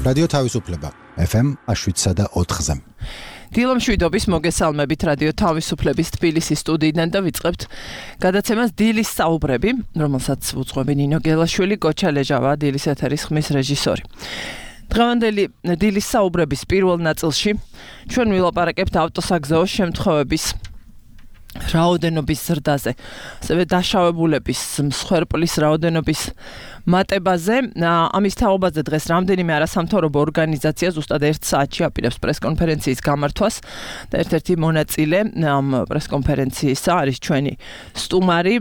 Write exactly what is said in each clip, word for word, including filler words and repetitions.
რადიო თავისუფლება ეფ ემ შვიდსა და ოთხზე. დილო მშვიდობის მოგესალმებით რადიო თავისუფლების თბილისის სტუდიიდან და ვიწყებთ გადაცემას დილის საუბრები, რომელსაც უძღვები ნინო გელაშვილი, გოჩა ლეჟავა, დილის ეთერის ხმის რეჟისორი. დღევანდელი დილის საუბრების პირველ ნაწილში ჩვენ ვილაპარაკებთ ავტოსაგზაო შემთხვევების რაოდენობის ზრდაზე, ასევე დაშავებულების, მსხვერპლის რაოდენობის მატებაზე. ამის თაობაზე დღეს რამდენიმე არასამთავრობო ორგანიზაცია ზუსტად ერთ საათში აპირებს პრესკონფერენციის გამართვას და ერთ-ერთი მონაწილე ამ პრესკონფერენციისა არის ჩვენი სტუმარი,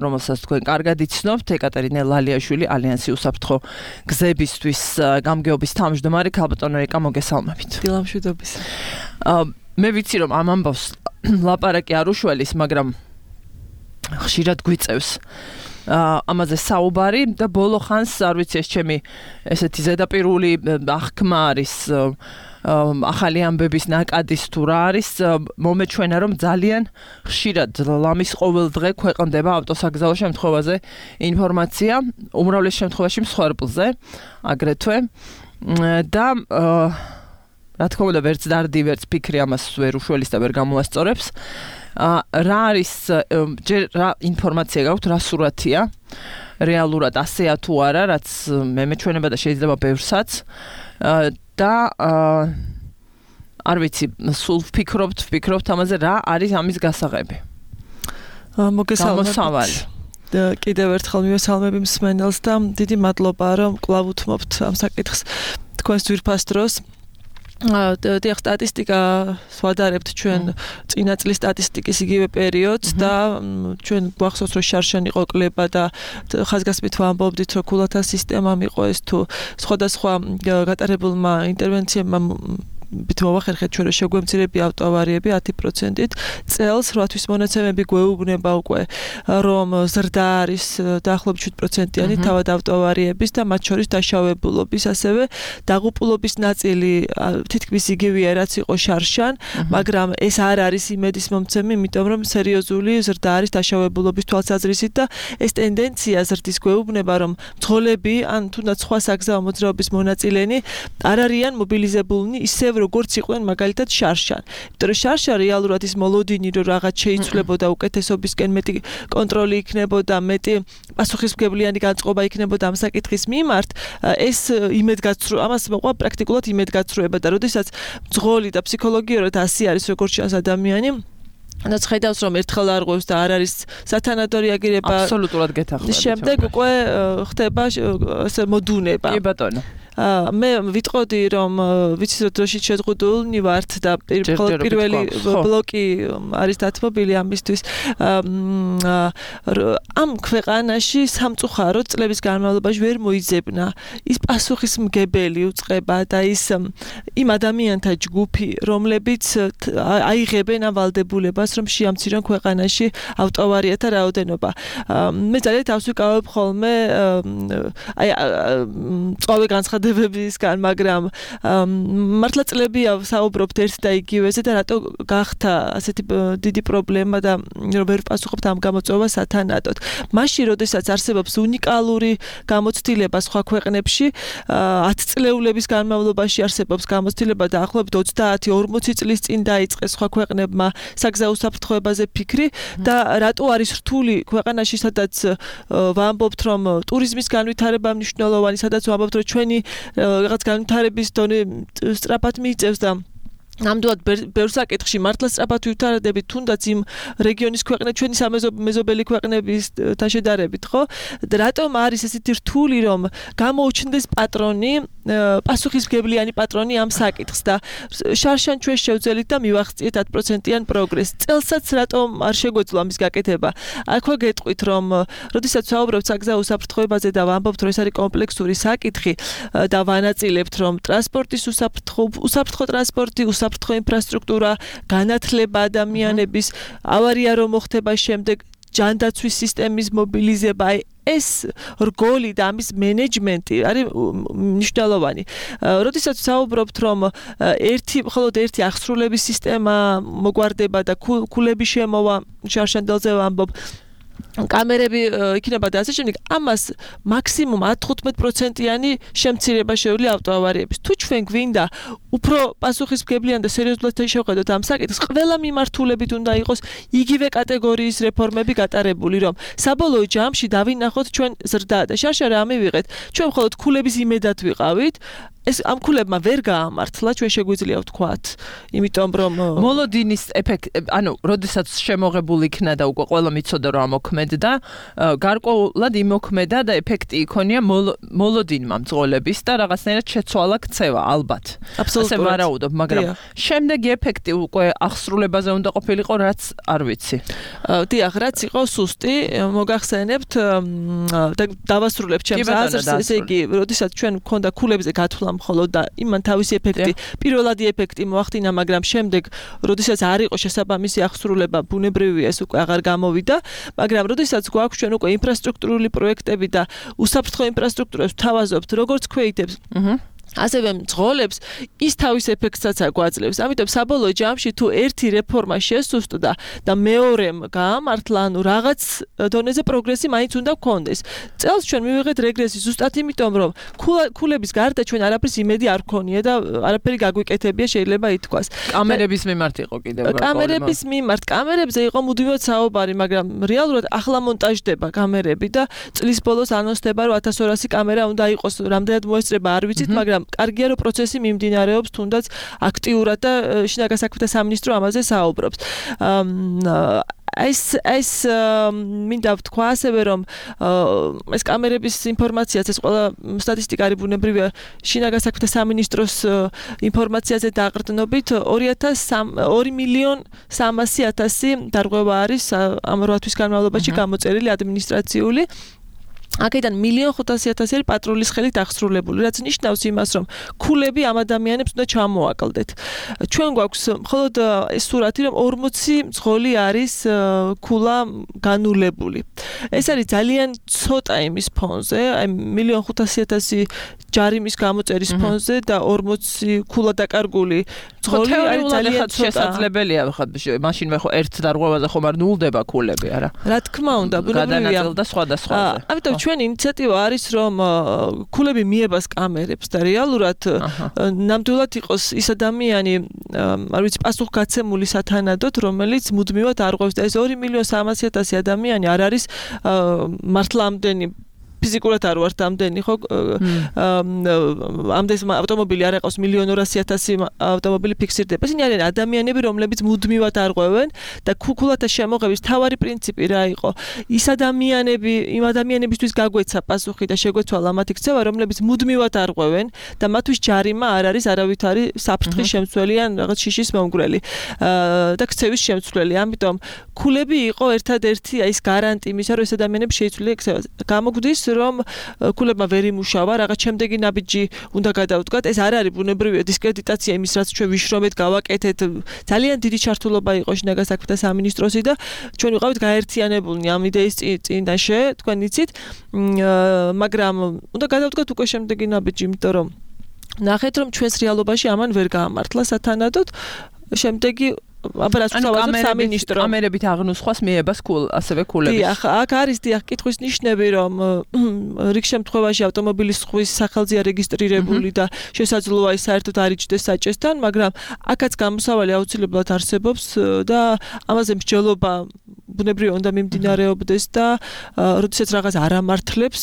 რომელსაც თქვენ კარგად იცნობთ, ეკატერინე ლალიაშვილი, ალიანსი უსაფრთხო გზებისთვის გამგეობის თავმჯდომარე. ქალბატონო ეკა, მოგესალმებით. დილო მშვიდობის. მე ვიცი რომ ამ ამბავს ლაპარაკი არ უშველის, მაგრამ ხშირად გვიწევს ამაზე საუბარი და ბოლო ხანს არ ვიცი ეს ჩემი ესეთი ზედაპირული აღქმა არის ახალი ამბების ნაკადის თუ რა არის, მომეჩვენა რომ ძალიან ხშირად ლამის ყოველ დღე ქვეყნდება ავტოსაგზაო შემთხვევაზე ინფორმაცია, უმრავლეს შემთხვევაში მსხვერპლზე აგრეთვე და რა თქმა უნდა ვერც დარდი, ვერც ფიქრი ამას ვერ უშველის და ვერ გამოასწორებს. რა არის ჯერ რა ინფორმაცია გაქვთ, რა სურათია რეალურად ასეა თუ არა, რაც მე მეჩვენება და შეიძლება ბევრსაც და არ ვიცი, სულ ვფიქრობთ, ვფიქრობთ ამაზე რა არის ამის გასაღები. მოგესალმებით. კიდევ ერთხელ მივესალმები მსმენელს და დიდი მადლობა რომ კვლავ უთმობთ ამ საკითხს თქვენს ძვირფას დროს. დიახ, სტატისტიკა ვადარებთ ჩვენ წინა წლის სტატისტიკის იგივე პერიოდს და ჩვენ გვახსოვს რომ შარშან იყო კლება და ხაზგასმით ვამბობდით რომ ქულათა სისტემამ იყო ეს თუ სხვადასხვა გატარებულმა ინტერვენციებმა ბით მოვახერხეთ ჩვენ რომ შეგვემცირებია ავტოავარიები ათი პროცენტით წელს. რვათვის მონაცემები გვეუბნება უკვე რომ ზრდა არის დაახლოებით შვიდ პროცენტიანი თავად ავტოავარიების და მათ შორის დაშავებულობის, ასევე დაღუპულობის ნაწილი თითქმის იგივეა რაც იყო შარშან, მაგრამ ეს არ არის იმედის მომცემი, იმიტომ რომ სერიოზული ზრდა არის დაშავებულობის თვალსაზრისით და ეს ტენდენცია ზრდის გვეუბნება რომ მძღოლები ან თუნდაც სხვა საგზაო მოძრაობის მონაწილენი არ არიან მობილიზებულნი ისევ როგორც იყვნენ მაგალითად შარშან. იმიტომ რომ შარშან რეალურად ის მოლოდინი რომ რაღაც შეიცვლებოდა, უკეთესობისკენ მეტი კონტროლი იქნებოდა, მეტი პასუხისმგებლიანი განწყობა იქნებოდა ამ საკითხის მიმართ, ეს იმედგაცრუება, ამას მოყვა პრაქტიკულად იმედგაცრუება და როდესაც მძღოლი და ფსიქოლოგიურად ასე არის როგორც ჩანს ადამიანი, რაც ხედავს რომ ერთხელ არ ღვევს და არ არის სათანადო რეაგირება, აბსოლუტურად გეთახმებით. შემდეგ უკვე ხდება ასე მოდუნება. კი ბატონო. მე ვიტყოდი რომ ვიცით რომ დროშით შეზღუდულნი ვართ და პირველი ბლოკი არის დათმობილი ამისთვის. ამ ქვეყანაში სამწუხაროდ წლების განმავლობაში ვერ მოიძებნა ის პასუხისმგებელი უწყება და ის იმ ადამიანთა ჯგუფი, რომლებიც აიღებენ ამ ვალდებულებას რომ შეამცირონ ქვეყანაში ავტოავარიათა რაოდენობა. მე ძალიან თავს ვიკავებ ხოლმე აი წვავე განცხადებებისგან, მაგრამ მართლა წლებია საუბრობთ ერთ და იგივეზე და რატო გახდა ასეთი დიდი პრობლემა და რომ ვერ პასუხობთ ამ გამოწვევას სათანადოდ. მაშინ, როდესაც არსებობს უნიკალური გამოცდილება სხვა ქვეყნებში, ათწლეულების განმავლობაში არსებობს გამოცდილება დაახლოებით ოცდაათი ორმოცი წლის წინ დაიწყეს სხვა ქვეყნებმა საგზაო უსაფრთხოებაზე ფიქრი და რატო არის რთული ქვეყანაში, სადაც ვამბობთ რომ ტურიზმის განვითარება მნიშვნელოვანი, სადაც ვამბობთ რომ ჩვენი რაღაც განვითარების დონე სწრაფად მიიწევს და ნამდვილად ბევრ საკითხში მართლა სწრაფად ვითარდებით, თუნდაც იმ რეგიონის ქვეყნები, ჩვენი სამეზობელი ქვეყნებისთან შედარებით, ხო? და რატომ არის ესეთი რთული რომ გამოუჩნდეს პატრონი, პასუხისმგებლიანი პატრონი ამ საკითხს და შარშან ჩვენ შევძელით და მივახციეთ ათი პროცენტიან პროგრესს. წელსაც რატომ არ შეგვეძლო ამის გაკეთება? აქვე გეტყვით რომ როდესაც ვსაუბრობთ საგზაო უსაფრთხოებაზე და ვამბობთ რომ ეს არის კომპლექსური საკითხი და ვანაწილებთ რომ ტრანსპორტის უსაფრთხო უსაფრთხო ტრანსპორტი, უსაფრთხო ინფრასტრუქტურა, განათლება ადამიანების, ავარია რომ მოხდება შემდეგ ჯანდაცვის სისტემის მობილიზება, ეს რგოლი და ამის მენეჯმენტი არის მნიშვნელოვანი. როდესაც ვსაუბრობთ რომ ერთი მხოლოდ ერთი აღსრულების სისტემა მოგვარდება და ქულები შემოვა, შარშანდელზე ვამბობ, კამერები იქნება და ასე შემდეგ, ამას მაქსიმუმ ათი-თხუთმეტი პროცენტიანი შემცირება შეუძლია ავტოავარიების. თუ ჩვენ გვინდა უფრო პასუხისმგებლიან და სერიოზულად შევხედოთ ამ საკითხს, ყველა მიმართულებით უნდა იყოს იგივე კატეგორიის რეფორმები გატარებული, რომ საბოლოო ჯამში დავინახოთ ჩვენ ზრდა და შარშარა ამივიღეთ. ჩვენ მხოლოდ ქულების იმედად ვიყავით. ეს ამ ქულებმა ვერ გაამართლა, ჩვენ შეგვიძლია ვთქვათ, იმიტომ რომ მოლოდინის ეფექტი, ანუ, როდესაც შემოღებული იქნა და უკვე ყველა მიცოდა რომ ამოქმედდა, გარკვეულად იმოქმედა და ეფექტი იქონია მოლოდინმა მძღოლების და რაღაცნაირად შეცვალა ქცევა, ალბათ. ასე ვარაუდობ, მაგრამ შემდეგი ეფექტი უკვე აღსრულებაზე უნდა ყოფილიყო, რაც არ ვიცი. დიახ, რაც იყო სუსტი, მოგახსენებთ და დავასრულებ ჩემს აზრს, ესე იგი, როდესაც ჩვენ გვქონდა ქულებზე გათვლა მხოლოდ და იმან თავისი ეფექტი, პირველადი ეფექტი მოახდინა, მაგრამ შემდეგ, როდესაც არ იყო შესაბამისი აღსრულება, ბუნებრივია ეს უკვე აღარ გამოვიდა, მაგრამ როდესაც გვაქვს ჩვენ უკვე ინფრასტრუქტურული პროექტები და უსაფრთხო ინფრასტრუქტურას ვთავაზობთ, როგორც ქვეითებს, ასევე მძღოლებს, ის თავის ეფექტსაც აგვაძლევს. ამიტომ საბოლოო ჯამში თუ ერთი რეფორმა შესუსტდა და მეორემ გაამართლა, ანუ რაღაც დონეზე პროგრესი მაინც უნდა გქონდეს. წელს ჩვენ მივიღეთ რეგრესი ზუსტად იმიტომ, რომ ქულების გარდა ჩვენ არაფრის იმედი არ გქონია და არაფერი გაგვიკეთებია, შეიძლება ითქვას. კამერების მიმართ იყო კიდევ. კამერების მიმართ, კამერებზე იყო მუდმივად საუბარი, მაგრამ რეალურად ახლა მონტაჟდება კამერები და წლის ბოლოს ანონსდება, რომ ათას ორასი კამერა უნდა იყოს, რამდენად მოესწრება არ ვიცით, მაგრამ კარგია რომ პროცესი მიმდინარეობს თუნდაც აქტიურად და შინაგან საქმეთა სამინისტრო ამაზე საუბრობს. ეს ეს მინდა ვთქვა ასევე რომ ეს კამერების ინფორმაციაც ეს ყველა სტატისტიკა არის ბუნებრივია შინაგან საქმეთა სამინისტროს ინფორმაციაზე დაყრდნობით ორი მილიონ სამასი ათასი დარღვევა არის ამ რვა თვის განმავლობაში გამოწერილი ადმინისტრაციული აქედან მილიონ ხუთასი ათასი არის პატრულის ხელით აღსრულებული, რაც ნიშნავს იმას, რომ ქულები ამ ადამიანებს უნდა ჩამოაკლდეთ. ჩვენ გვაქვს მხოლოდ ეს სურათი, რომ ორმოცი მძღოლი არის ქულა განულებული. ეს არის ძალიან ცოტა იმის ფონზე, აი მილიონ ხუთასი ათასი ჯარიმის გამოწერის ფონზე და ორმოცი ქულა დაკარგული მძღოლი არის ძალიან შესაძლებელია, ხო, მაშინ მე ხო ერთ დარღვევაზე ხომ არ ნულდება ქულები, არა? რა თქმა უნდა, ბუნებრივია. გადანაწილდა სხვადასხვაზე. ამიტომ ჩვენი ინიციატივა არის, რომ ქულები მიებას კამერებს და რეალურად ნამდვილად იყოს ის ადამიანი, არ ვიცი, პასუხგაცემული სათანადოდ, რომელიც მუდმივად არღვევს და ეს ორი მილიონ სამასი ათასი ადამიანი არ არის მართლა ამდენი ფიზიკურად არ ვართ ამდენი ხო ამდენ ავტომობილი არ აყავს მილიონ ორასი ათასი ავტომობილი ფიქსირდება. ისინი არიან ადამიანები, რომლებიც მუდმივად არღვევენ და ქულათა შემოღების თავარი პრინციპი რა იყო? ის ადამიანები, იმ ადამიანებისთვის გაგვეცა პასუხი და შეგვეცვალა მათი ქცევა, რომლებიც მუდმივად არღვევენ და მათთვის ჯარიმა არ არის არავითარი საფრთხის შემცვლელი ან რაღაც შიშის მომგვრელი და ქცევის შემცვლელი. ამიტომ ქულები იყო ერთადერთი აი ეს გარანტი იმისა, რომ ეს ადამიანები შეიცვლიან ქცევას. გამოგვდის რომ ქულებმა ვერ იმუშავა, რაღაც შემდეგი ნაბიჯი უნდა გადავდგათ. ეს არ არის ბუნებრივია დისკრედიტაცია იმის, რაც ჩვენ ვიშრომეთ, გავაკეთეთ. ძალიან დიდი ჩართულობა იყო შინაგან საქმეთა სამინისტროსი და ჩვენ ვიყავით გაერთიანებულნი ამ იდეის წინაშე, თქვენ იცით, მაგრამ უნდა გადავდგათ უკვე შემდეგი ნაბიჯი, იმიტომ რომ ნახეთ, რომ ჩვენს რეალობაში ამან ვერ გაამართლა სათანადოდ. შემდეგი აბარას ვთავაზობ სამინისტრო კამერებით აღნუსხვას მიებას ქულ ასევე ქულებს. დიახ, აქ არის დიახ კითხვის ნიშნები, რომ რიგ შემთხვევაში ავტომობილის სხვის სახელზეა რეგისტრირებული და შესაძლოა ის საერთოდ არ იჯდეს საჭესთან, მაგრამ აქაც გამოსავალი აუცილებლად არსებობს და ამაზე მსჯელობა ბუნებრივია უნდა მიმდინარეობდეს და როდესაც რაღაც არ ამართლებს,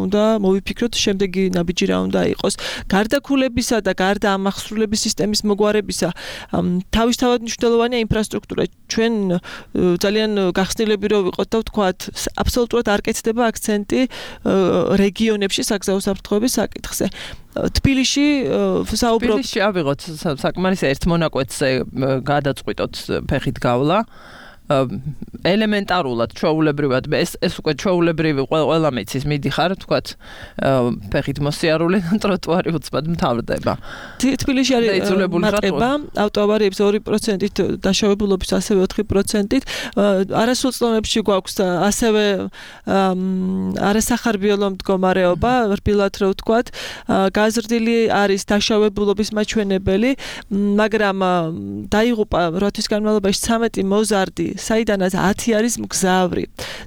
უნდა მოვიფიქროთ შემდეგი ნაბიჯი რა უნდა იყოს. გარდა ქულებისა და გარდა ამ აღსრულების სისტემის მოგვარებისა, თავისთავად მნიშვნელოვანია ინფრასტრუქტურა. ჩვენ ძალიან გახსნილები რო ვიყოთ და ვთქვათ, აბსოლუტურად არ კეთდება აქცენტი რეგიონებში საგზაო საფრთხეების საკითხზე. თბილისში საუბრობ თბილისში ავიღოთ საკმარისი ერთ მონაკვეთზე გადაწყვიტოთ ფეხით გავლა. ელემენტარულად ჩვეულებრივად ეს ეს უკვე ჩვეულებრივი ყველა მეცის მიდიხარ, თქვათ, ფეხით მოსიარული და ტროტუარი უცბად მთავრდება. თბილისში არის მარტება, ავტოავარიების ორი პროცენტით, დაშავებულობის ასევე ოთხი პროცენტით. არასრულ წლებში გვაქვს ასევე არასახარბიელო მდგომარეობა, რბილად რო ვთქვათ, გაზრდილი არის დაშავებულობის მაჩვენებელი, მაგრამ დაიღუპა რვა თვის განმავლობაში ცამეტი მოზარდი საიდანაც ათი არის მგზავრი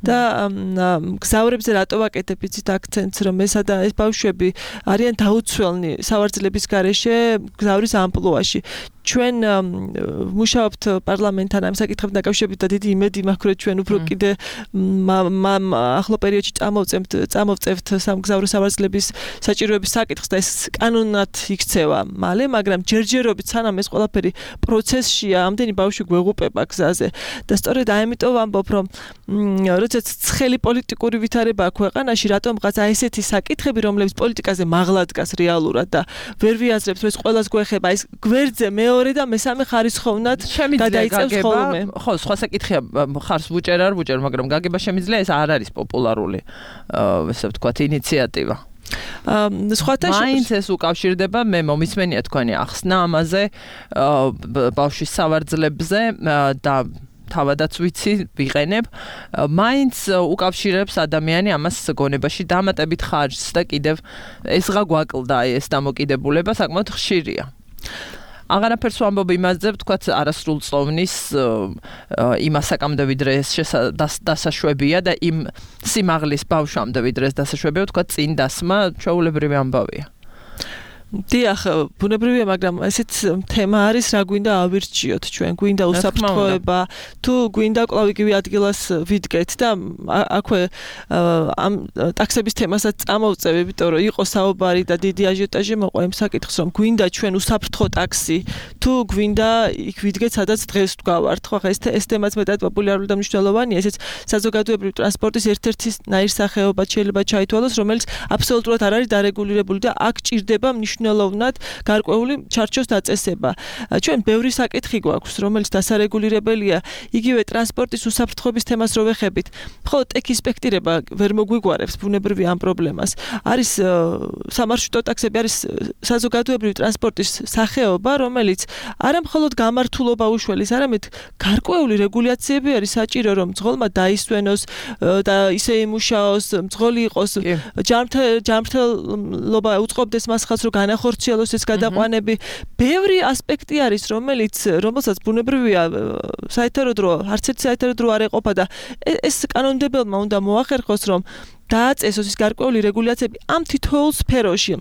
და მგზავრებზე რატო ვაკეთებ იცით აქცენტს რომ ესა და ეს ბავშვები არიან დაუცველნი სავარძლების გარეშე მგზავრის ამპლუაში ჩვენ მუშაობთ პარლამენტთან ამ საკითხებთან დაკავშირებით და დიდი იმედი მაქვს რომ ჩვენ უფრო კიდე ახლო პერიოდში წამოვწევთ წამოვწევთ სამგზავრო სავარძლების საჭიროების საკითხს და ეს კანონად იქცევა მალე მაგრამ ჯერჯერობით სანამ ეს ყველაფერი პროცესშია ამდენი ბავშვი გვეღუპება გზაზე და სწორედ ამიტომ ვამბობ რომ როდესაც ცხელი პოლიტიკური ვითარება აქვს ქვეყანაში რატომღაც აი ესეთი საკითხები რომლებიც პოლიტიკაზე მაღლა დგას რეალურად და ვერ ვიაზრებთ რომ ეს ყველას გვეხება ეს გვერდზე მეორე და მესამე ხარისხოვნად გადაიწევს ხოლმე. ხო, სხვა საკითხია ხარს ვუჭერ არ ვუჭერ, მაგრამ გაგება შემიძლია ეს არ არის პოპულარული, ესე ვთქვათ, ინიციატივა. სხვათა მაინც ეს უკავშირდება მე მომისმენია თქვენი ახსნა ამაზე ბავშვის სავარძლებზე და თავადაც ვიცი ვიყენებ მაინც უკავშირებს ადამიანი ამას გონებაში დამატებით ხარჯს და კიდევ ესღა გვაკლდა ეს დამოკიდებულება საკმაოდ ხშირია. აღარაფერს ვამბობ იმაზე, ვთქვათ, არასრულწლოვნის იმასაკამდე ვიდრე ეს დასაშვებია და იმ სიმაღლის ბავშვამდე ვიდრე ეს დასაშვებია, ვთქვათ, წინ დასმა ჩვეულებრივი ამბავია. დიახ, ბუნებრივია, მაგრამ ესეც თემა არის, რა გვინდა ავირჩიოთ ჩვენ, გვინდა უსაფრთხოება, თუ გვინდა კვლავ იგივე ადგილას ვიდგეთ და აქვე ამ ტაქსების თემასაც წამოვწევ, იმიტომ რომ იყო საუბარი და დიდი აჟიოტაჟი მოყვა იმ საკითხს, რომ გვინდა ჩვენ უსაფრთხო ტაქსი, თუ გვინდა იქ ვიდგეთ, სადაც დღეს ვდგავართ. ხო, ხა ეს ეს თემაც მეტად პოპულარული და მნიშვნელოვანია, ესეც საზოგადოებრივი ტრანსპორტის ერთ-ერთი ნაირსახეობა შეიძლება ჩაითვალოს, რომელიც აბსოლუტურად არ არის დარეგულირებული და აქ ჭირდება მნიშვნელოვნად გარკვეული ჩარჩოს დაწესება. ჩვენ ბევრი საკითხი გვაქვს, რომელიც დასარეგულირებელია, იგივე ტრანსპორტის უსაფრთხოების თემას რო ვეხებით. მხოლოდ ტექისპექტირება ვერ მოგვიგوارებს ბუნებრივი ამ პრობლემას. არის სამარშრუტო ტაქსები, არის საზოგადოებრივი ტრანსპორტის სახეობა, რომელიც არა მხოლოდ გამართულობა უშველის, არამედ გარკვეული რეგულაციები არის საჭირო, რომ მძღოლმა დაისვენოს და ისე იმუშაოს, მძღოლი იყოს ჯანმრთელობა უწყობდეს მას ხალხს რომ განახორციელოს ეს გადაყვანები. ბევრი ასპექტი არის, რომელიც რომელსაც ბუნებრივია საერთოდ დრო, არც ერთი საერთოდ დრო არ ეყოფა და ეს კანონმდებელმა უნდა მოახერხოს, რომ დააწესოს ის გარკვეული რეგულაციები ამ თითოეულ სფეროში.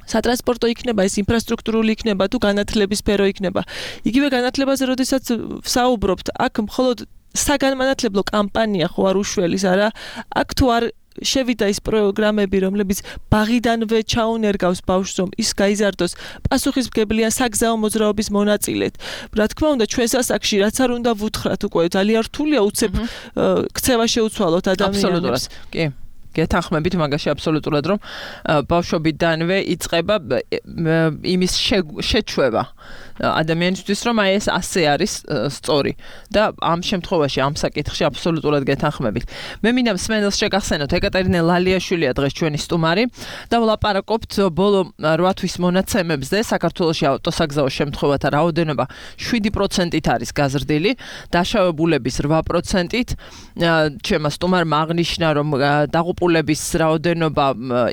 სატრანსპორტო იქნება, ეს ინფრასტრუქტურული იქნება, თუ განათლების სფერო იქნება. იგივე განათლებაზე, როდესაც ვსაუბრობთ, აქ მხოლოდ საგანმანათლებლო კამპანია ხო არ უშველის, არა? აქ თუ არ შევიდა ის პროგრამები, რომლებიც ბაღიდანვე ჩაუნერგავს ბავშვს, რომ ის გაიზარდოს პასუხისმგებლიან საგზაო მოძრაობის მონაწილედ. რა თქმა უნდა, ჩვენს ასაკში რაც არ უნდა ვუთხრათ უკვე ძალიან რთულია უცებ ქცევა შეუცვალოთ ადამიანებს. კი. გეთანხმებით მაგაში აბსოლუტურად, რომ ბავშვობიდანვე იწყება იმის შეჩვევა ადამიანისთვის, რომ აი ეს ასე არის სწორი და ამ შემთხვევაში ამ საკითხში აბსოლუტურად გეთანხმებით. მე მინდა მსმენელს შეგახსენოთ, ეკატერინე ლალიაშვილია დღეს ჩვენი სტუმარი და ვლაპარაკობთ ბოლო რვა თვის მონაცემებზე. საქართველოში ავტოსაგზაო შემთხვევათა რაოდენობა შვიდი პროცენტით არის გაზრდილი, დაშავებულების რვა პროცენტით. ჩემმა სტუმარმა აღნიშნა, რომ დაღუპულების რაოდენობა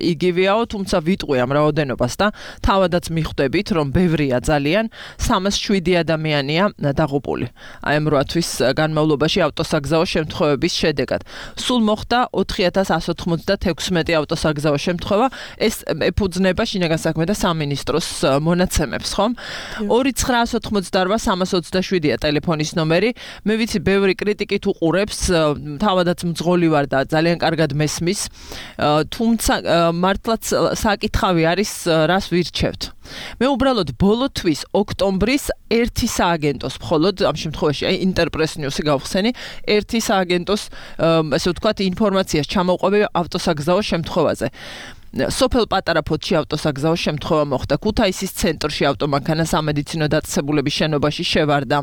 იგივეაო, თუმცა ვიტყვი ამ რაოდენობას და თავადაც მიხვდებით, რომ ბევრია ძალიან. სამას შვიდი ადამიანია დაღუპული. აი ამ რვა თვის განმავლობაში ავტოსაგზაო შემთხვევების შედეგად. სულ მოხდა ოთხი ათას ასი ოცდაექვსმეტი ავტოსაგზაო შემთხვევა. ეს ეფუძნება შინაგან საქმეთა სამინისტროს მონაცემებს, ხომ? ორი ცხრა ათი ოცდარვა სამას ოცდაშვიდია ტელეფონის ნომერი. მე ვიცი, ბევრი კრიტიკით უყურებს, თავადაც მძღოლი ვარ და ძალიან კარგად მესმის. თუმცა მართლაც საკითხავი არის, რას ვირჩევთ. მე უბრალოდ ბოლო თვის ოქტომბრის ერთი სააგენტოს მხოლოდ ამ შემთხვევაში აი ინტერპრეს ნიუსი გავხსენი ერთი სააგენტოს ესე ვთქვათ ინფორმაციას ჩამოვყვები ავტოსაგზაო შემთხვევაზე. სოფელ პატარაფოთში ავტოსაგზაო შემთხვევა მოხდა. ქუთაისის ცენტრში ავტომანქანა სამედიცინო დაწესებულების შენობაში შევარდა.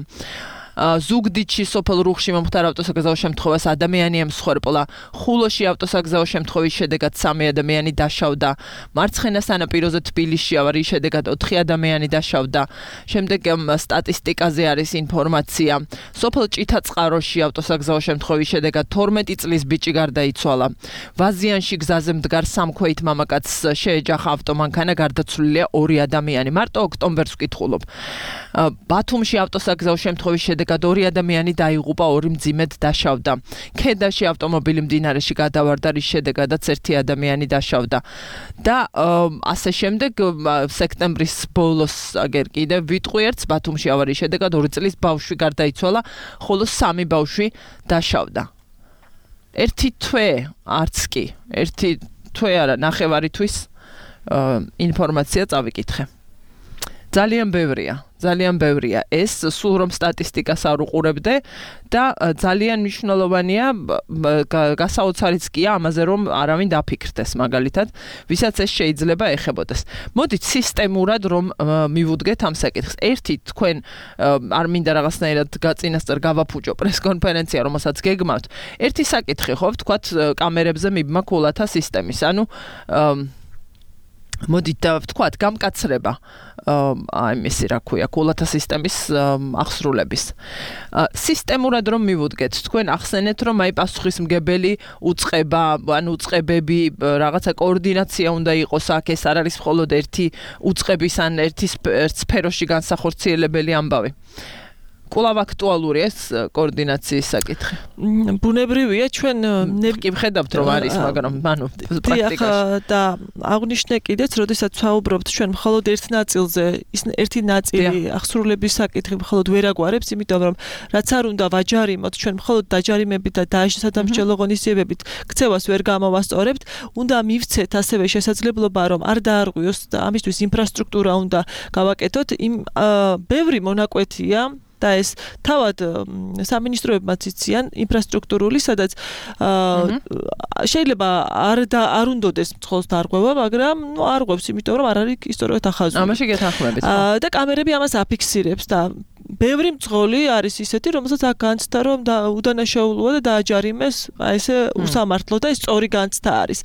ზუგდიდში სოფელ რუხში მომხდარ ავტოსაგზაო შემთხვევას ადამიანი ემსხვერპლა. ხულოში ავტოსაგზაო შემთხვევის შედეგად სამი ადამიანი დაშავდა. მარცხენა სანაპიროზე თბილისში ავარიის შედეგად ოთხი ადამიანი დაშავდა. შემდეგ სტატისტიკაზე არის ინფორმაცია. სოფელ ჭითაწყაროში ავტოსაგზაო შემთხვევის შედეგად თორმეტი წლის ბიჭი გარდაიცვალა. ვაზიანში გზაზე მდგარ სამქვეით მამაკაცს შეეჯახა ავტომანქანა, გარდაცვლილია ორი ადამიანი. მარტო ოქტომბერს ვკითხულობ. ბათუმში ავტოსაგზაო შემთხვევის შედეგად შედეგად ორი ადამიანი დაიღუპა, ორი მძიმედ დაშავდა. ქედაში ავტომობილი მდინარეში გადავარდა, რის შედეგადაც ერთი ადამიანი დაშავდა. და ასე შემდეგ სექტემბრის ბოლოს აგერ კიდევ ვიტყვი ერთს ბათუმში ავარიის შედეგად ორი წლის ბავშვი გარდაიცვალა, ხოლო სამი ბავშვი დაშავდა. ერთი თვე არც კი, ერთი თვე არა, ნახევარი თვის ინფორმაცია წავიკითხე. ძალიან ბევრია, ძალიან ბევრია. ეს სულ რომ სტატისტიკას არ უყურებდე და ძალიან მნიშვნელოვანია გასაოცარიც კია ამაზე რომ არავინ დაფიქრდეს მაგალითად, ვისაც ეს შეიძლება ეხებოდეს. მოდით სისტემურად რომ მივუდგეთ ამ საკითხს. ერთი თქვენ არ მინდა რაღაცნაირად გაწინასწარ გავაფუჭო პრესკონფერენცია, რომელსაც გეგმავთ. ერთი საკითხი ხო, ვთქვათ, კამერებზე მიბმა ქულათა სისტემის. ანუ მოდით ვთქვათ, გამკაცრება აი მისი რა ქვია, ქულათა სისტემის აღსრულების. სისტემურად რომ მივუდგეთ, თქვენ ახსენეთ, რომ აი პასუხისმგებელი უწყება, ანუ უწყებები, რაღაცა კოორდინაცია უნდა იყოს აქ, ეს არ არის მხოლოდ ერთი უწყების ან ერთი სფეროში განსახორციელებელი ამბავი. კვლავ აქტუალურია ეს კოორდინაციის საკითხი. ბუნებრივია ჩვენ კი ვხედავთ რომ არის, მაგრამ ანუ პრაქტიკაში. და აღნიშნე კიდეც, როდესაც ვსაუბრობთ ჩვენ მხოლოდ ერთ ნაწილზე, ის ერთი ნაწილი აღსრულების საკითხი მხოლოდ ვერ აგვარებს, იმიტომ რომ რაც არ უნდა ვაჯარიმოთ, ჩვენ მხოლოდ დაჯარიმებით და დასადამსჯელო ღონისძიებებით ქცევას ვერ გამოვასწორებთ, უნდა მივცეთ ასევე შესაძლებლობა რომ არ დაარღვიოს და ამისთვის ინფრასტრუქტურა უნდა გავაკეთოთ. იმ ბევრი მონაკვეთია და ეს თავად სამინისტროებმაც იციან ინფრასტრუქტურული, სადაც შეიძლება არ და არ უნდოდეს მწხოლს დარღვევა, მაგრამ ნუ არ ღვევს, იმიტომ რომ არ არის ისტორიულად ახაზული. ამაში გეთანხმებით. და კამერები ამას აფიქსირებს და ბევრი მწღოლი არის ისეთი, რომელსაც აქ განცდა რომ უდანაშაულოა და დააჯარიმეს, აი ესე უსამართლო და ეს სწორი განცდა არის.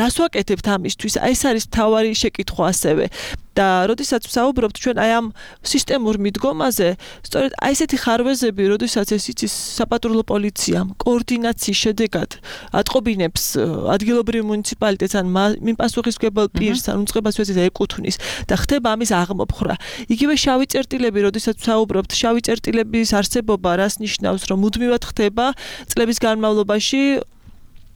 რას ვაკეთებთ ამისთვის? აი ეს არის მთავარი შეკითხვა ასევე. და როდესაც ვსაუბრობთ ჩვენ აი ამ სისტემურ მიდგომაზე, სწორედ აი ესეთი ხარვეზები, როდესაც ეს იცის საპატრულო პოლიციამ კოორდინაციის შედეგად ატყობინებს ადგილობრივ მუნიციპალიტეტს ან მიმ პასუხისმგებელ პირს ან უწყებას ვეცით ეკუთვნის და ხდება ამის აღმოფხრა. იგივე შავი წერტილები, როდესაც ვსაუბრობთ, შავი წერტილების არსებობა რას ნიშნავს, რომ მუდმივად ხდება წლების განმავლობაში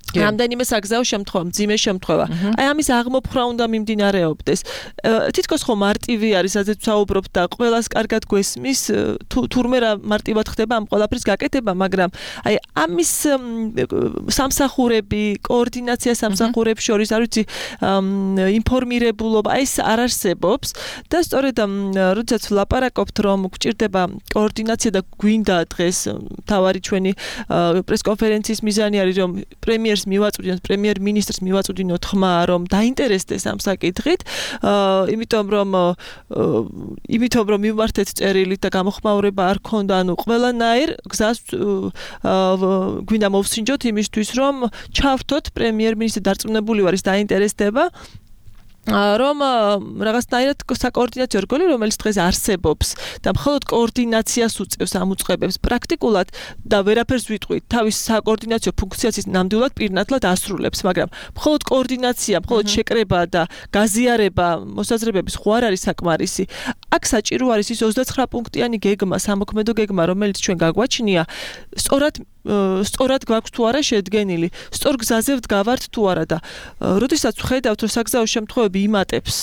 რამდენიმე საგზაო შემთხვევა, მძიმე შემთხვევა. აი ამის აღმოფხრა უნდა მიმდინარეობდეს. თითქოს ხო მარტივი არის, სადაც ვსაუბრობთ და ყველას კარგად გვესმის, თურმე რა მარტივად ხდება ამ ყველაფრის გაკეთება, მაგრამ აი ამის სამსახურები, კოორდინაცია სამსახურებს შორის, არ ვიცი, ინფორმირებულობა, აი ეს არ არსებობს და სწორედ როდესაც ვლაპარაკობთ, რომ გვჭირდება კოორდინაცია და გვინდა დღეს თავარი ჩვენი პრესკონფერენციის მიზანი არის, რომ პრემიერს მივაწვდინოთ, პრემიერ-მინისტრს მივაწვდინოთ ხმა, რომ დაინტერესდეს ამ საკითხით, იმიტომ რომ იმიტომ რომ მივმართეთ წერილით და გამოხმაურება არ ქონდა, ანუ ყველანაირ გზას გვინდა მოვსინჯოთ იმისთვის, რომ ჩავრთოთ პრემიერ-მინისტრი დარწმუნებული ვარ ის დაინტერესდება. რომ რაღაცნაირად საკოორდინაციო რგოლი, რომელიც დღეს არსებობს და მხოლოდ კოორდინაციას უწევს ამ უწყებებს პრაქტიკულად და ვერაფერს ვიტყვით, თავის საკოორდინაციო ფუნქციას ის ნამდვილად პირნათლად ასრულებს, მაგრამ მხოლოდ კოორდინაცია, მხოლოდ შეკრება და გაზიარება მოსაზრებების ხო არ არის საკმარისი. აქ საჭირო არის ის ოცდაცხრა პუნქტიანი გეგმა, სამოქმედო გეგმა, რომელიც ჩვენ გაგვაჩნია, სწორად სწორად გვაქვს თუ არა შედგენილი, სწორ გზაზე ვდგავართ თუ არა და როდესაც ვხედავთ, რომ საგზაო შემთხვევები იმატებს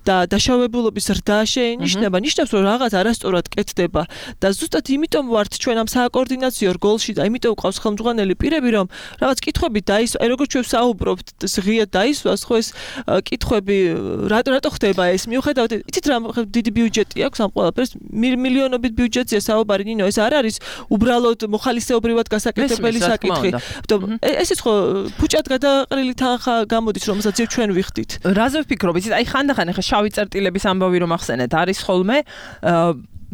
და დაშავებულობის ზრდა შეინიშნება, ნიშნავს, რომ რაღაც არასწორად კეთდება და ზუსტად იმიტომ ვართ ჩვენ ამ საკოორდინაციო რგოლში და იმიტომ ვყავს ხელმძღვანელი პირები, რომ რაღაც კითხვები დაისვა, აი როგორც ჩვენ ვსაუბრობთ, ღიად დაისვას, ხო ეს კითხვები რატო ხდება ეს? მიუხედავად, იცით რა დიდი ბიუჯეტი აქვს ამ ყველაფერს, მილიონობით ბიუჯეტია საუბარი, ნინო, ეს არ არის უბრალოდ მოხალისეობრივად გასაკეთებელი საკითხი. ესეც ხო ფუჭად გადაყრილი თანხა გამოდის, რომელსაც ჩვენ ვიხდით. რაზე ვფიქრობ, იცით, აი ხანდახან ახლა შავი წერტილების ამბავი რომ ახსენეთ, არის ხოლმე